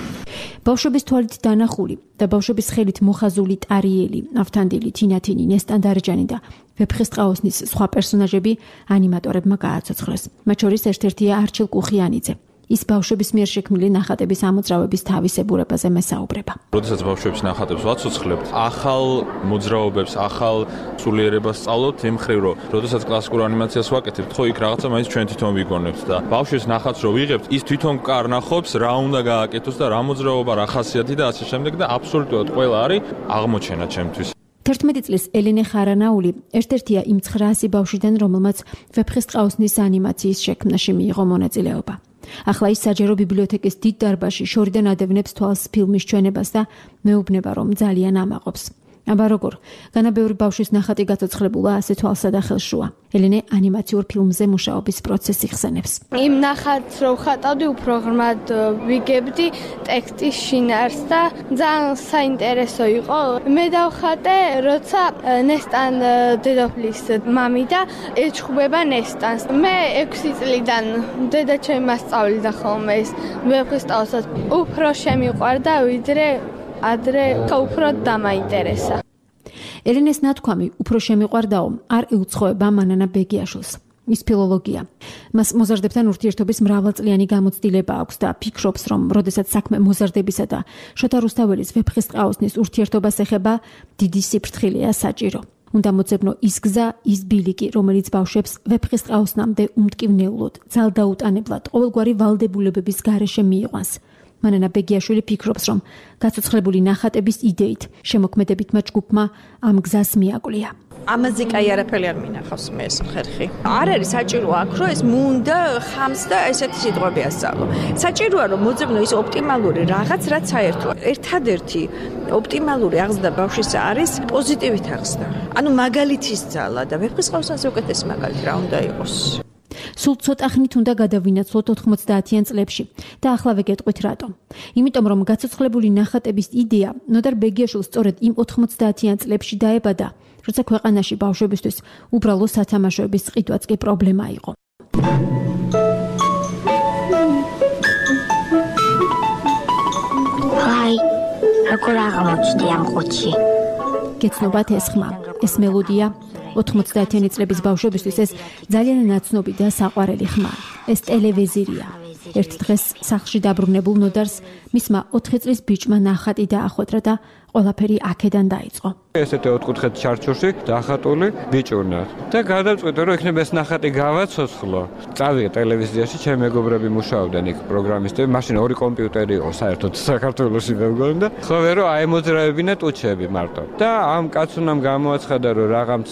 ბავშვების თვალით დანახული და ბავშვების ხელით მოხაზული ტარიელი, ავთანდილი, თინათინი, ნესტანდარჯანი და ვეფხისტყაოსნის სხვა პერსონაჟები ანიმატორებმა გააცოცხლეს. მათ შორის ერთ-ერთია არჩილ კუხიანიძე. ის ბავშვების მიერ შექმნილი ნახატების ამოძრავების თავისებურებაზე მესაუბრება. როდესაც ბავშვების ნახატებს ვაცოცხლებთ, ახალ მოძრაობებს, ახალ სულიერებას სწავლობთ იმ მხრივ, რომ როდესაც კლასიკურ ანიმაციას ვაკეთებთ, ხო იქ რაღაცა მაინც ჩვენ თვითონ ვიგონებთ და ბავშვის ნახატს რო ვიღებთ, ის თვითონ კარნახობს, რა უნდა გააკეთოს და რა მოძრაობა, რა ხასიათი და ასე შემდეგ და აბსოლუტურად ყველა არის აღმოჩენა ჩემთვის. თერთმეტი წლის ელენე ხარანაული ერთ-ერთია იმ ცხრაასი ბავშვიდან, რომელმაც ვეფხისტყაოსნის ანიმაციის შექმნაში მიიღო მონაწილეობა. ახლა ის საჯარო ბიბლიოთეკის დიდ დარბაზში შორიდან ადევნებს თვალს ფილმის ჩვენებას და მეუბნება, რომ ძალიან ამაყობს. აბა როგორ? განა ბევრი ბავშვის ნახატი გაცოცხლებულა ასე თვალსადახელს შუა. ელენე ანიმაციურ ფილმზე მუშაობის პროცესი ხსენებს. იმ ნახატს რო ვხატავდი, უფრო ღრმად ვიგებდი ტექსტის შინაარს და ძალიან საინტერესო იყო. მე დავხატე, როცა ნესტან დედოფლის მამიდა ეჩხუბება ნესტანს. მე ექვსი წლიდან დედა ჩემი მასწავლიდა ხოლმე ეს ვეფხისტყაოსას. უფრო შემიყვარდა, ვიდრე ადრე უფრო დამაინტერესა. ელენეს ნათქვამი უფრო შემიყვარდაო არ ეუცხოება მანანა ბეგიაშვილს. ის ფილოლოგია. მას მოზარდებთან ურთიერთობის მრავალწლიანი გამოცდილება აქვს და ფიქრობს, რომ როდესაც საქმე მოზარდებისა და შოთა რუსთაველის ვეფხისტყაოსნის ურთიერთობას ეხება, დიდი სიფრთხილეა საჭირო. უნდა მოძებნო ის გზა, ის ბილიკი, რომელიც ბავშვებს ვეფხისტყაოსნამდე უმტკივნეულოდ, ძალდაუტანებლად, ყოველგვარი ვალდებულებების გარეშე მიიყვანს. მანანა ბეგიაშვილი ფიქრობს, რომ გაცოცხლებული ნახატების იდეით შემოქმედებითმა ჯგუფმა ამ გზას მიაკვლია. ამაზე კაი არაფერი არ მინახავს მე ეს ხერხი. არ არის საჭირო აქ რომ ეს მუნდა ხამს და ესეთი სიტყვები ასწავლო. საჭიროა რომ მოძებნო ის ოპტიმალური რაღაც, რაც საერთოა. ერთადერთი ოპტიმალური აღზრდა ბავშვის არის პოზიტივით აღზრდა. ანუ მაგალითის ძალა და ვეფხისტყაოსანზე უკეთესი მაგალითი რა უნდა იყოს. სულ ცოტა ხნით უნდა გადავინაცვლოთ ოთხმოცდაათიან წლებში და ახლა ვეგეტყვით რატომ. იმიტომ რომ გაცოცხლებული ნახატების იდეა ნოდარ ბეგიაშვილს სწორედ იმ ოთხმოცდაათიან წლებში დაებადა, როცა ქვეყანაში ბავშვებისთვის უბრალო სათამაშოების ყიდვაც კი პრობლემა იყო. აი, როგორ აღმოჩნდი ამ ყუთში. გეცნობათ ეს ხმა, ეს მელოდია ოთხმოცდაათიანი წლების ბავშვებისთვის ეს ძალიან ნაცნობი და საყვარელი ხმა. ეს ტელევიზორია. ერთ დღეს სახლში დაბრუნებულ ნოდარს მისმა ოთხი წლის ბიჭმა ნახატი დაახვედრა და ყველაფერი აქედან დაიწყო. ესეთი ოთხკუთხედ ჩარჩოში დახატული ბიჭუნა და გადავწყვიტე რომ იქნება ეს ნახატი გავაცოცხლო. წავიდე ტელევიზიაში, ჩემი მეგობრები მუშაობდნენ იქ პროგრამისტები, მაშინ ორი კომპიუტერი იყო საერთოდ საქართველოში მე მგონი და ხოვე რომ აემოძრავებინა ტუჩები მარტო. და ამ კაცუნამ გამოაცხადა რომ რაღაც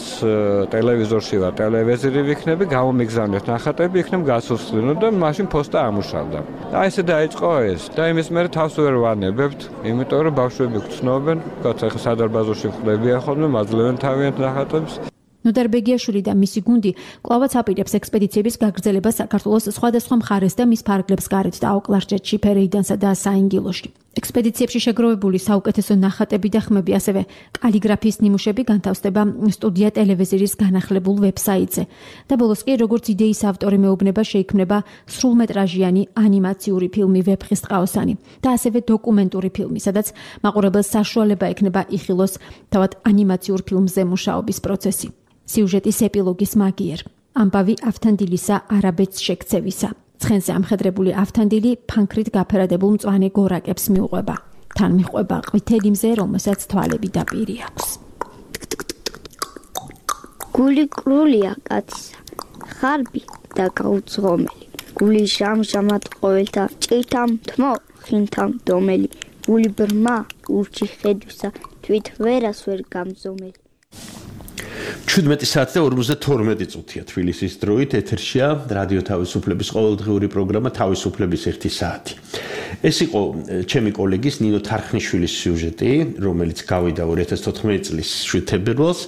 ტელევიზორში ვარ, ტელევიზორი ვიქნები, გამომიგზავნეთ ნახატები, იქნებ გაცოცხლინო და მაშინ პოსტა ამუშავდა. და ესე დაიწყო ეს და იმის მერე თავს ვერ ვანებებთ, იმიტომ რომ ბავშვები გწნობენ, კაც ახლა სადარბაზოში ხდებიან ხოლმე, მაძლევენ თავიანთ ნახატებს. ნოდარ ბეგიაშვილი და მისი გუნდი კვლავაც აპირებს ექსპედიციების გაგრძელებას საქართველოს სხვადასხვა მხარეს და მის ფარგლებს გარეთ და აუკლარჯეთში, ფერეიდანსა და საინგილოში. ექსპედიციებში შეგროვებული საუკეთესო ნახატები და ხმები, ასევე კალიგრაფიის ნიმუშები განთავსდება სტუდია ტელევიზიის განახლებულ ვებსაიტზე. და ბოლოს კი როგორც იდეის ავტორი მეუბნება შეიქმნება სრულმეტრაჟიანი ანიმაციური ფილმი ვეფხისტყაოსანი და ასევე დოკუმენტური ფილმი, სადაც მაყურებელს საშუალება ექნება იხილოს თავად ანიმაციურ ფილმზე მუშაობის პროცესი. სიუჟეტის ეპილოგის მაგიერ. ამბავი ავთანდილისა არაბეთს შეკცევისა. ცხენზე ამხედრებული ავთანდილი ფანქრით გაფერადებულ მწვანე გორაკებს მიუყვება. თან მიყვება ყვითელი მზე, რომელსაც თვალები და პირი აქვს. გული კრულია კაცისა, ხარბი და გაუძღომელი. გული ჟამჟამად ყოველთა ჭირთამ თმო, ხინთამ დომელი. გული ბრმა ურჩი ხედვისა, თვით ვერას ვერ გამზომელი. ჩვიდმეტი საათი და ორმოცდათორმეტი წუთია თბილისის დროით ეთერშია რადიო თავისუფლების ყოველდღიური პროგრამა თავისუფლების ერთი საათი. ეს იყო ჩემი კოლეგის ნინო თარხნიშვილის სიუჟეტი, რომელიც გავიდა ორი ათას თოთხმეტი წლის შვიდ თებერვალს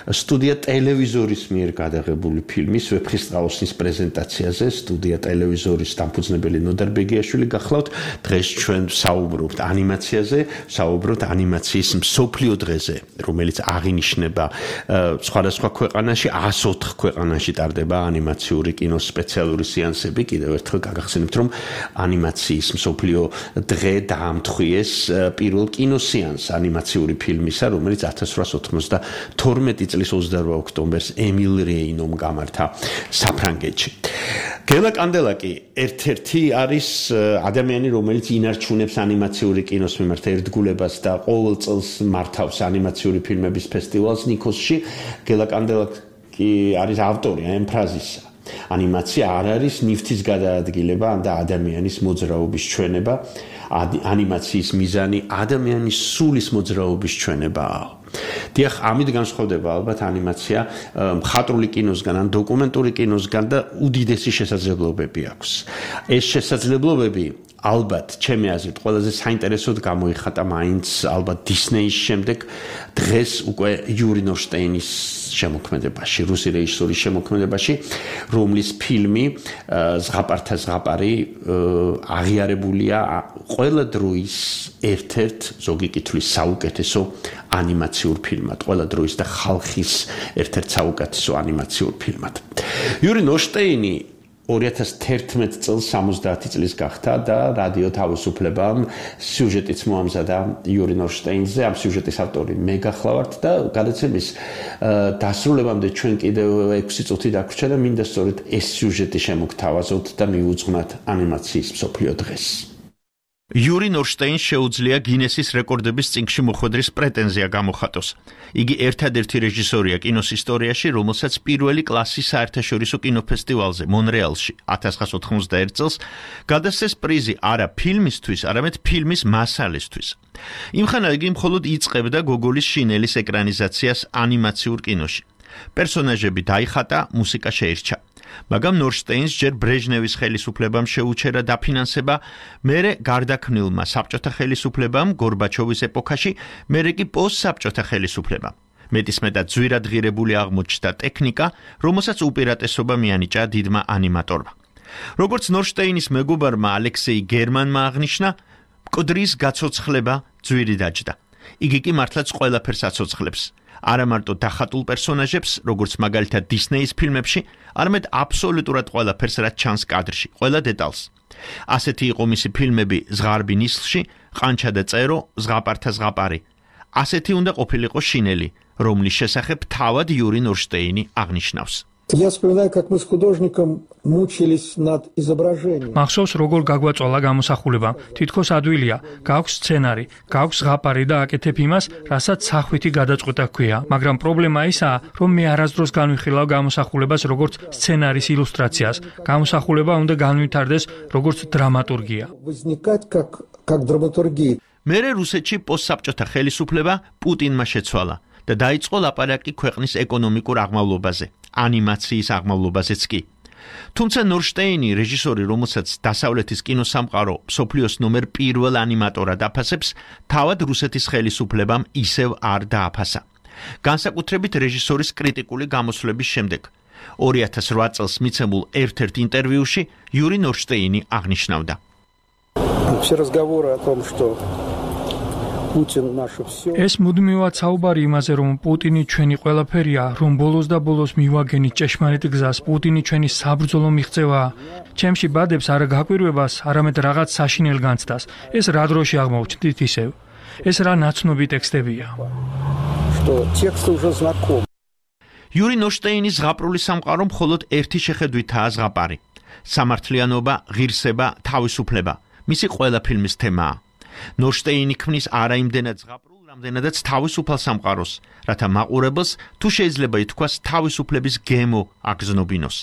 სტუდია ტელევიზორის მიერ გადაღებული ფილმის ვეფხისტყაოსნის პრეზენტაციაზე. სტუდია ტელევიზორის დამფუძნებელი ნოდარ ბეგიაშვილი გახლავთ. დღეს ჩვენ საუბრობთ ანიმაციაზე, საუბრობთ ანიმაციის მსოფლიო დღეზე, რომელიც აღინიშნება სხვადასხვა ქვეყანაში, ას ოთხ ქვეყანაში ტარდება ანიმაციური კინოს სპეციალური სეანსები. კიდევ ერთხელ გაგახსენებთ, რომ ანიმაციის მსოფლიო დღე დაამთხვიეს პირველ კინოსეანსს ანიმაციური ფილმისა, რომელიც ათას რვაას ოთხმოცდათორმეტი წლის ოცდაორ ოქტომბერს ემილ რეინომ გამართა საფრანგეთში. გელა კანდელაკი ერთ-ერთი არის ადამიანი, რომელიც ინარჩუნებს ანიმაციური კინოს მიმართ ერთგულებას და ყოველ წელს მართავს ანიმაციური ფილმების ფესტივალს ნიქოსში. გელა კანდელაკი არის ავტორი ამ ფრაზისა. ანიმაცია არ არის ნივთის გადაადგილება და ადამიანის მოძრაობის ჩვენება. ანიმაციის მიზანი ადამიანის სულის მოძრაობის ჩვენებაა. დიახ, ამით განსხვავდება ალბათ ანიმაცია მხატვრული კინოსგან ან დოკუმენტური კინოსგან და უდიდესი შესაძლებლობები აქვს. ეს შესაძლებლობები ალბათ ჩემი აზრით ყველაზე საინტერესოდ გამოიხატა მაინც ალბათ დისნეის შემდეგ დღეს უკვე იური ნორშტეინის შემოქმედებაში, რუსი რეჟისორის შემოქმედებაში, რომლის ფილმი ზღაპართა ზღაპარი აღიარებულია ყველა დროის ერთ-ერთ ზოგი კითხვის საუკეთესო ანიმაციურ ფილმად, ყველა დროის და ხალხის ერთ-ერთ საუკეთესო ანიმაციურ ფილმად. იური ნორშტეინი ორი ათას თერთმეტ წელს სამოცდაათი წლის გახდა და რადიო თავისუფლებამ სიუჟეტიც მოამზადა იური ნორშტეინზე, ამ სიუჟეტის ავტორი მე გახლავართ და გადაცემის დასრულებამდე ჩვენ კიდევ ექვსი წუთი დაგვრჩა და მინდა სწორედ ეს სიუჟეტი შემოგთავაზოთ და მიუძღვნათ ანიმაციის მსოფლიო დღეს. იური ნორშტეინს შეუძლია გინესის რეკორდების წიგნში მოხვედრის პრეტენზია გამოხატოს. იგი ერთადერთი რეჟისორია კინოს ისტორიაში, რომელსაც პირველი კლასის საერთაშორისო კინოფესტივალზე მონრეალში ათას ცხრაასა ოთხმოცდაერთი წელს გადასცეს პრიზი არა ფილმისთვის, არამედ ფილმის მასალისთვის. იმხანად იგი მხოლოდ იწყებდა გოგოლის შინელის ეკრანიზაციას ანიმაციურ კინოში. პერსონაჟები დაიხატა, მუსიკა შეირჩა. მაგრამ ნორშტეინს ჯერ ბრეჟნევის ხელისუფლებამ შეუჩერა დაფინანსება, მერე გარდაქმნილმა საბჭოთა ხელისუფლებამ გორბაჩოვის ეპოქაში, მერე კი პოსტსაბჭოთა ხელისუფლებამ. მეტისმეტად ძვირადღირებული აღმოჩნდა ტექნიკა, რომელსაც უპირატესობა მიანიჭა დიდმა ანიმატორმა. როგორც ნორშტეინის მეგობარმა ალექსეი გერმანმა აღნიშნა, მკვდრის გაცოცხლება ძვირი დაჯდა. იგი კი მართლაც ყველაფერს აცოცხლებს. არა მარტო დახატულ პერსონაჟებს, როგორც მაგალითად დისნეის ფილმებში, არამედ აბსოლუტურად ყველაფერს, რაც ჩანს კადრში, ყველა დეტალს. ასეთი იყო მისი ფილმები ზღარბი ნისლში, ყანჩა და წერო, ზღაპართა ზღაპარი. ასეთი უნდა ყოფილიყო შინელი, რომლის შესახებ თავად იური ნორშტეინი აღნიშნავს. Я вспоминаю, как мы с художником мучились над изображением. Მახსოვს როგორ გაგვაწვალა გამოსახულება. თითქოს ადვილია, გაქვს სცენარი, გაქვს ზღაპარი და აკეთებ იმას, რასაც სახვითი გადაწყვეტა ჰქვია, მაგრამ პრობლემა ისაა, რომ მე არასდროს განვიხილავ გამოსახულებას როგორც სცენარის ილუსტრაციას. გამოსახულება უნდა განვითარდეს როგორც დრამატურგია. Возникать как как драматургия. მერე რუსეთში პოსტსაბჭოთა ხელისუფლება პუტინმა შეცვალა და დაიწყო ლაპარაკი ქვეყნის ეკონომიკურ აღმავლობაზე, ანიმაციის აღმავლობაზეც კი. თუმცა ნორშტეინი, რეჟისორი, რომელსაც დასავლეთის კინოსამყარო მსოფლიოს ნომერ პირველ ანიმატორად აფასებს, თავად რუსეთის ხელისუფლებამ ისევ არ დააფასა. განსაკუთრებით რეჟისორის კრიტიკული გამოსვლების შემდეგ. ორი ათას რვა წელს მიცემულ ერთ-ერთ ინტერვიუში იური ნორშტეინი აღნიშნავდა. Все разговоры о том, что ეს მუდმივად საუბარი იმაზე, რომ პუტინი ჩვენი ყველაფერია, რომ ბოლოს და ბოლოს მივაგენით ჭეშმარიტ გზას, პუტინი ჩვენი საბრძოლო მიღწევაა. ჩემში ბადებს არა გაკვირვებას, არამედ რაღაც საშინელ განცდას. ეს რა დროში აღმოჩნდით ისევ. ეს რა ნაცნობი ტექსტებია. იური ნორშტეინის ზღაპრული სამყარო მხოლოდ ერთი შეხედვითაა ზღაპარი. სამართლიანობა, ღირსება, თავისუფლება. მისი ყველა ფილმის თემაა. ნორშტეინი ქმნის არა იმდენად ზღაპრულ, რამდენადაც თავისუფალ სამყაროს, რათა მაყურებელს თუ შეიძლება ითქვას თავისუფლების გემო აგზნობინოს.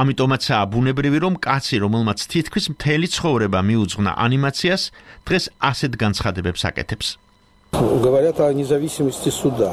ამიტომაცაა ბუნებრივი, რომ კაცი, რომელმაც თითქმის მთელი ცხოვრება მიუძღვნა ანიმაციას, დღეს ასეთ განცხადებებს აკეთებს. Говорят о независимости суда.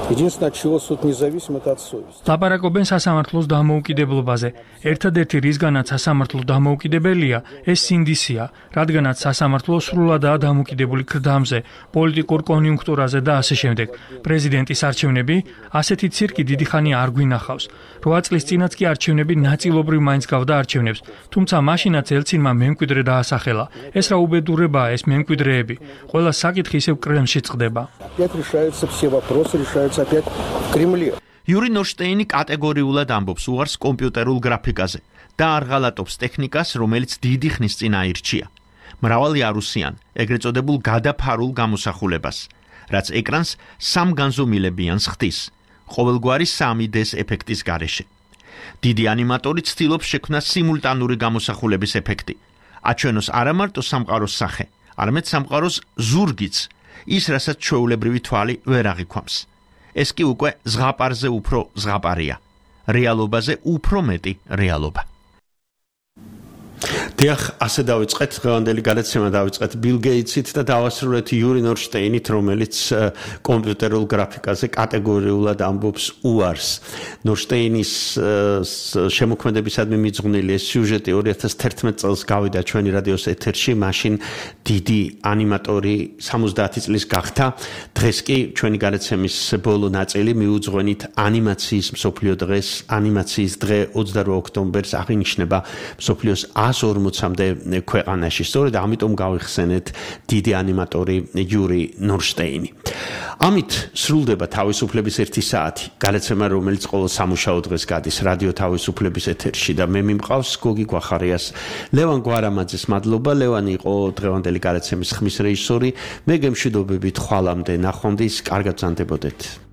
Единственное, от чего суд независим, это от совести. ლაპარაკობენ სასამართლოს დამოუკიდებლობაზე. ერთადერთი რისგანაც სასამართლო დამოუკიდებელია, ეს სინდისია, რადგანაც სასამართლო სრულადაა დამოუკიდებული ქრდამზე, პოლიტიკურ კონიუნქტურაზე და ასე შემდეგ. პრეზიდენტის არჩევნები, ასეთი ცირკი დიდი ხანი არ გვინახავს. რვა წლის წინაც კი არჩევნები ნაწილობრივ მაინც გავდა არჩევნებს, თუმცა მაშინაც ელცინმა მემკვიდრე დაასახელა. ეს რა უბედურებაა, ეს მემკვიდრეები. ყველა საკითხი ისევ კრემლში წყდება. Опять решаются все вопросы, решаются опять в Кремле. იური ნორშტეინი კატეგორიულად ამბობს უარს კომპიუტერულ გრაფიკაზე და არ ღალატობს ტექნიკას, რომელიც დიდი ხნის წინ აირჩია. მრავალი არუსიან, ეგრეთ წოდებულ გადაფარულ გამოსახულებას, რაც ეკრანს სამგანზომილებიანს ხდის, ყოველგვარი სამი დე-ს ეფექტის გარეშე. დიდი ანიმატორი ცდილობს შექმნა სიმულტანური გამოსახულების ეფექტი. აჩვენოს არა მარტო სამყაროს სახე, არამედ სამყაროს ზურგიც, ის რასაც ჩვეულებრივი თვალი ვერ აღიქვამს. ეს კი უკვე ზღაპარზე უფრო ზღაპარია, რეალობაზე უფრო მეტი რეალობა. დიახ, ასე დავიწყეთ დღევანდელი გადაცემა დავიწყეთ ბილ გეიტსით და დავასრულეთ იური ნორშტეინით, რომელიც კომპიუტერულ გრაფიკაზე კატეგორიულად ამბობს უარს. ნორშტეინის შემოქმედებისადმი მიძღვნილი ეს სიუჟეტი ორი ათას თერთმეტ წელს გავიდა ჩვენი რადიოს ეთერში, მაშინ დიდი ანიმატორი სამოცდაათი წლის გახდა. დღეს კი ჩვენი გადაცემის ბოლო ნაწილი მიუძღვენით ანიმაციის მსოფლიო დღეს, ანიმაციის დღე ოცდაორი ოქტომბერს აღინიშნება მსოფლიოს εκατს ორმოცამდე ქვეყანაში. სწორედ ამიტომ გავიხსენეთ დიდი ანიმატორი იური ნორშტეინი. ამით სრულდება თავისუფლების ერთი საათი. გადაცემა, რომელიც ყოველ სამუშაო დღეს გადის რადიო თავისუფლების ეთერში და მე მიმყავს გოგი გვახარიას. ლევან გვარამაძეს მადლობა. ლევანი იყო დღევანდელი გადაცემის ხმის რეჟისორი. მე გემშვიდობებით ხვალამდე ნახვამდის, კარგად ბრძანდებოდეთ.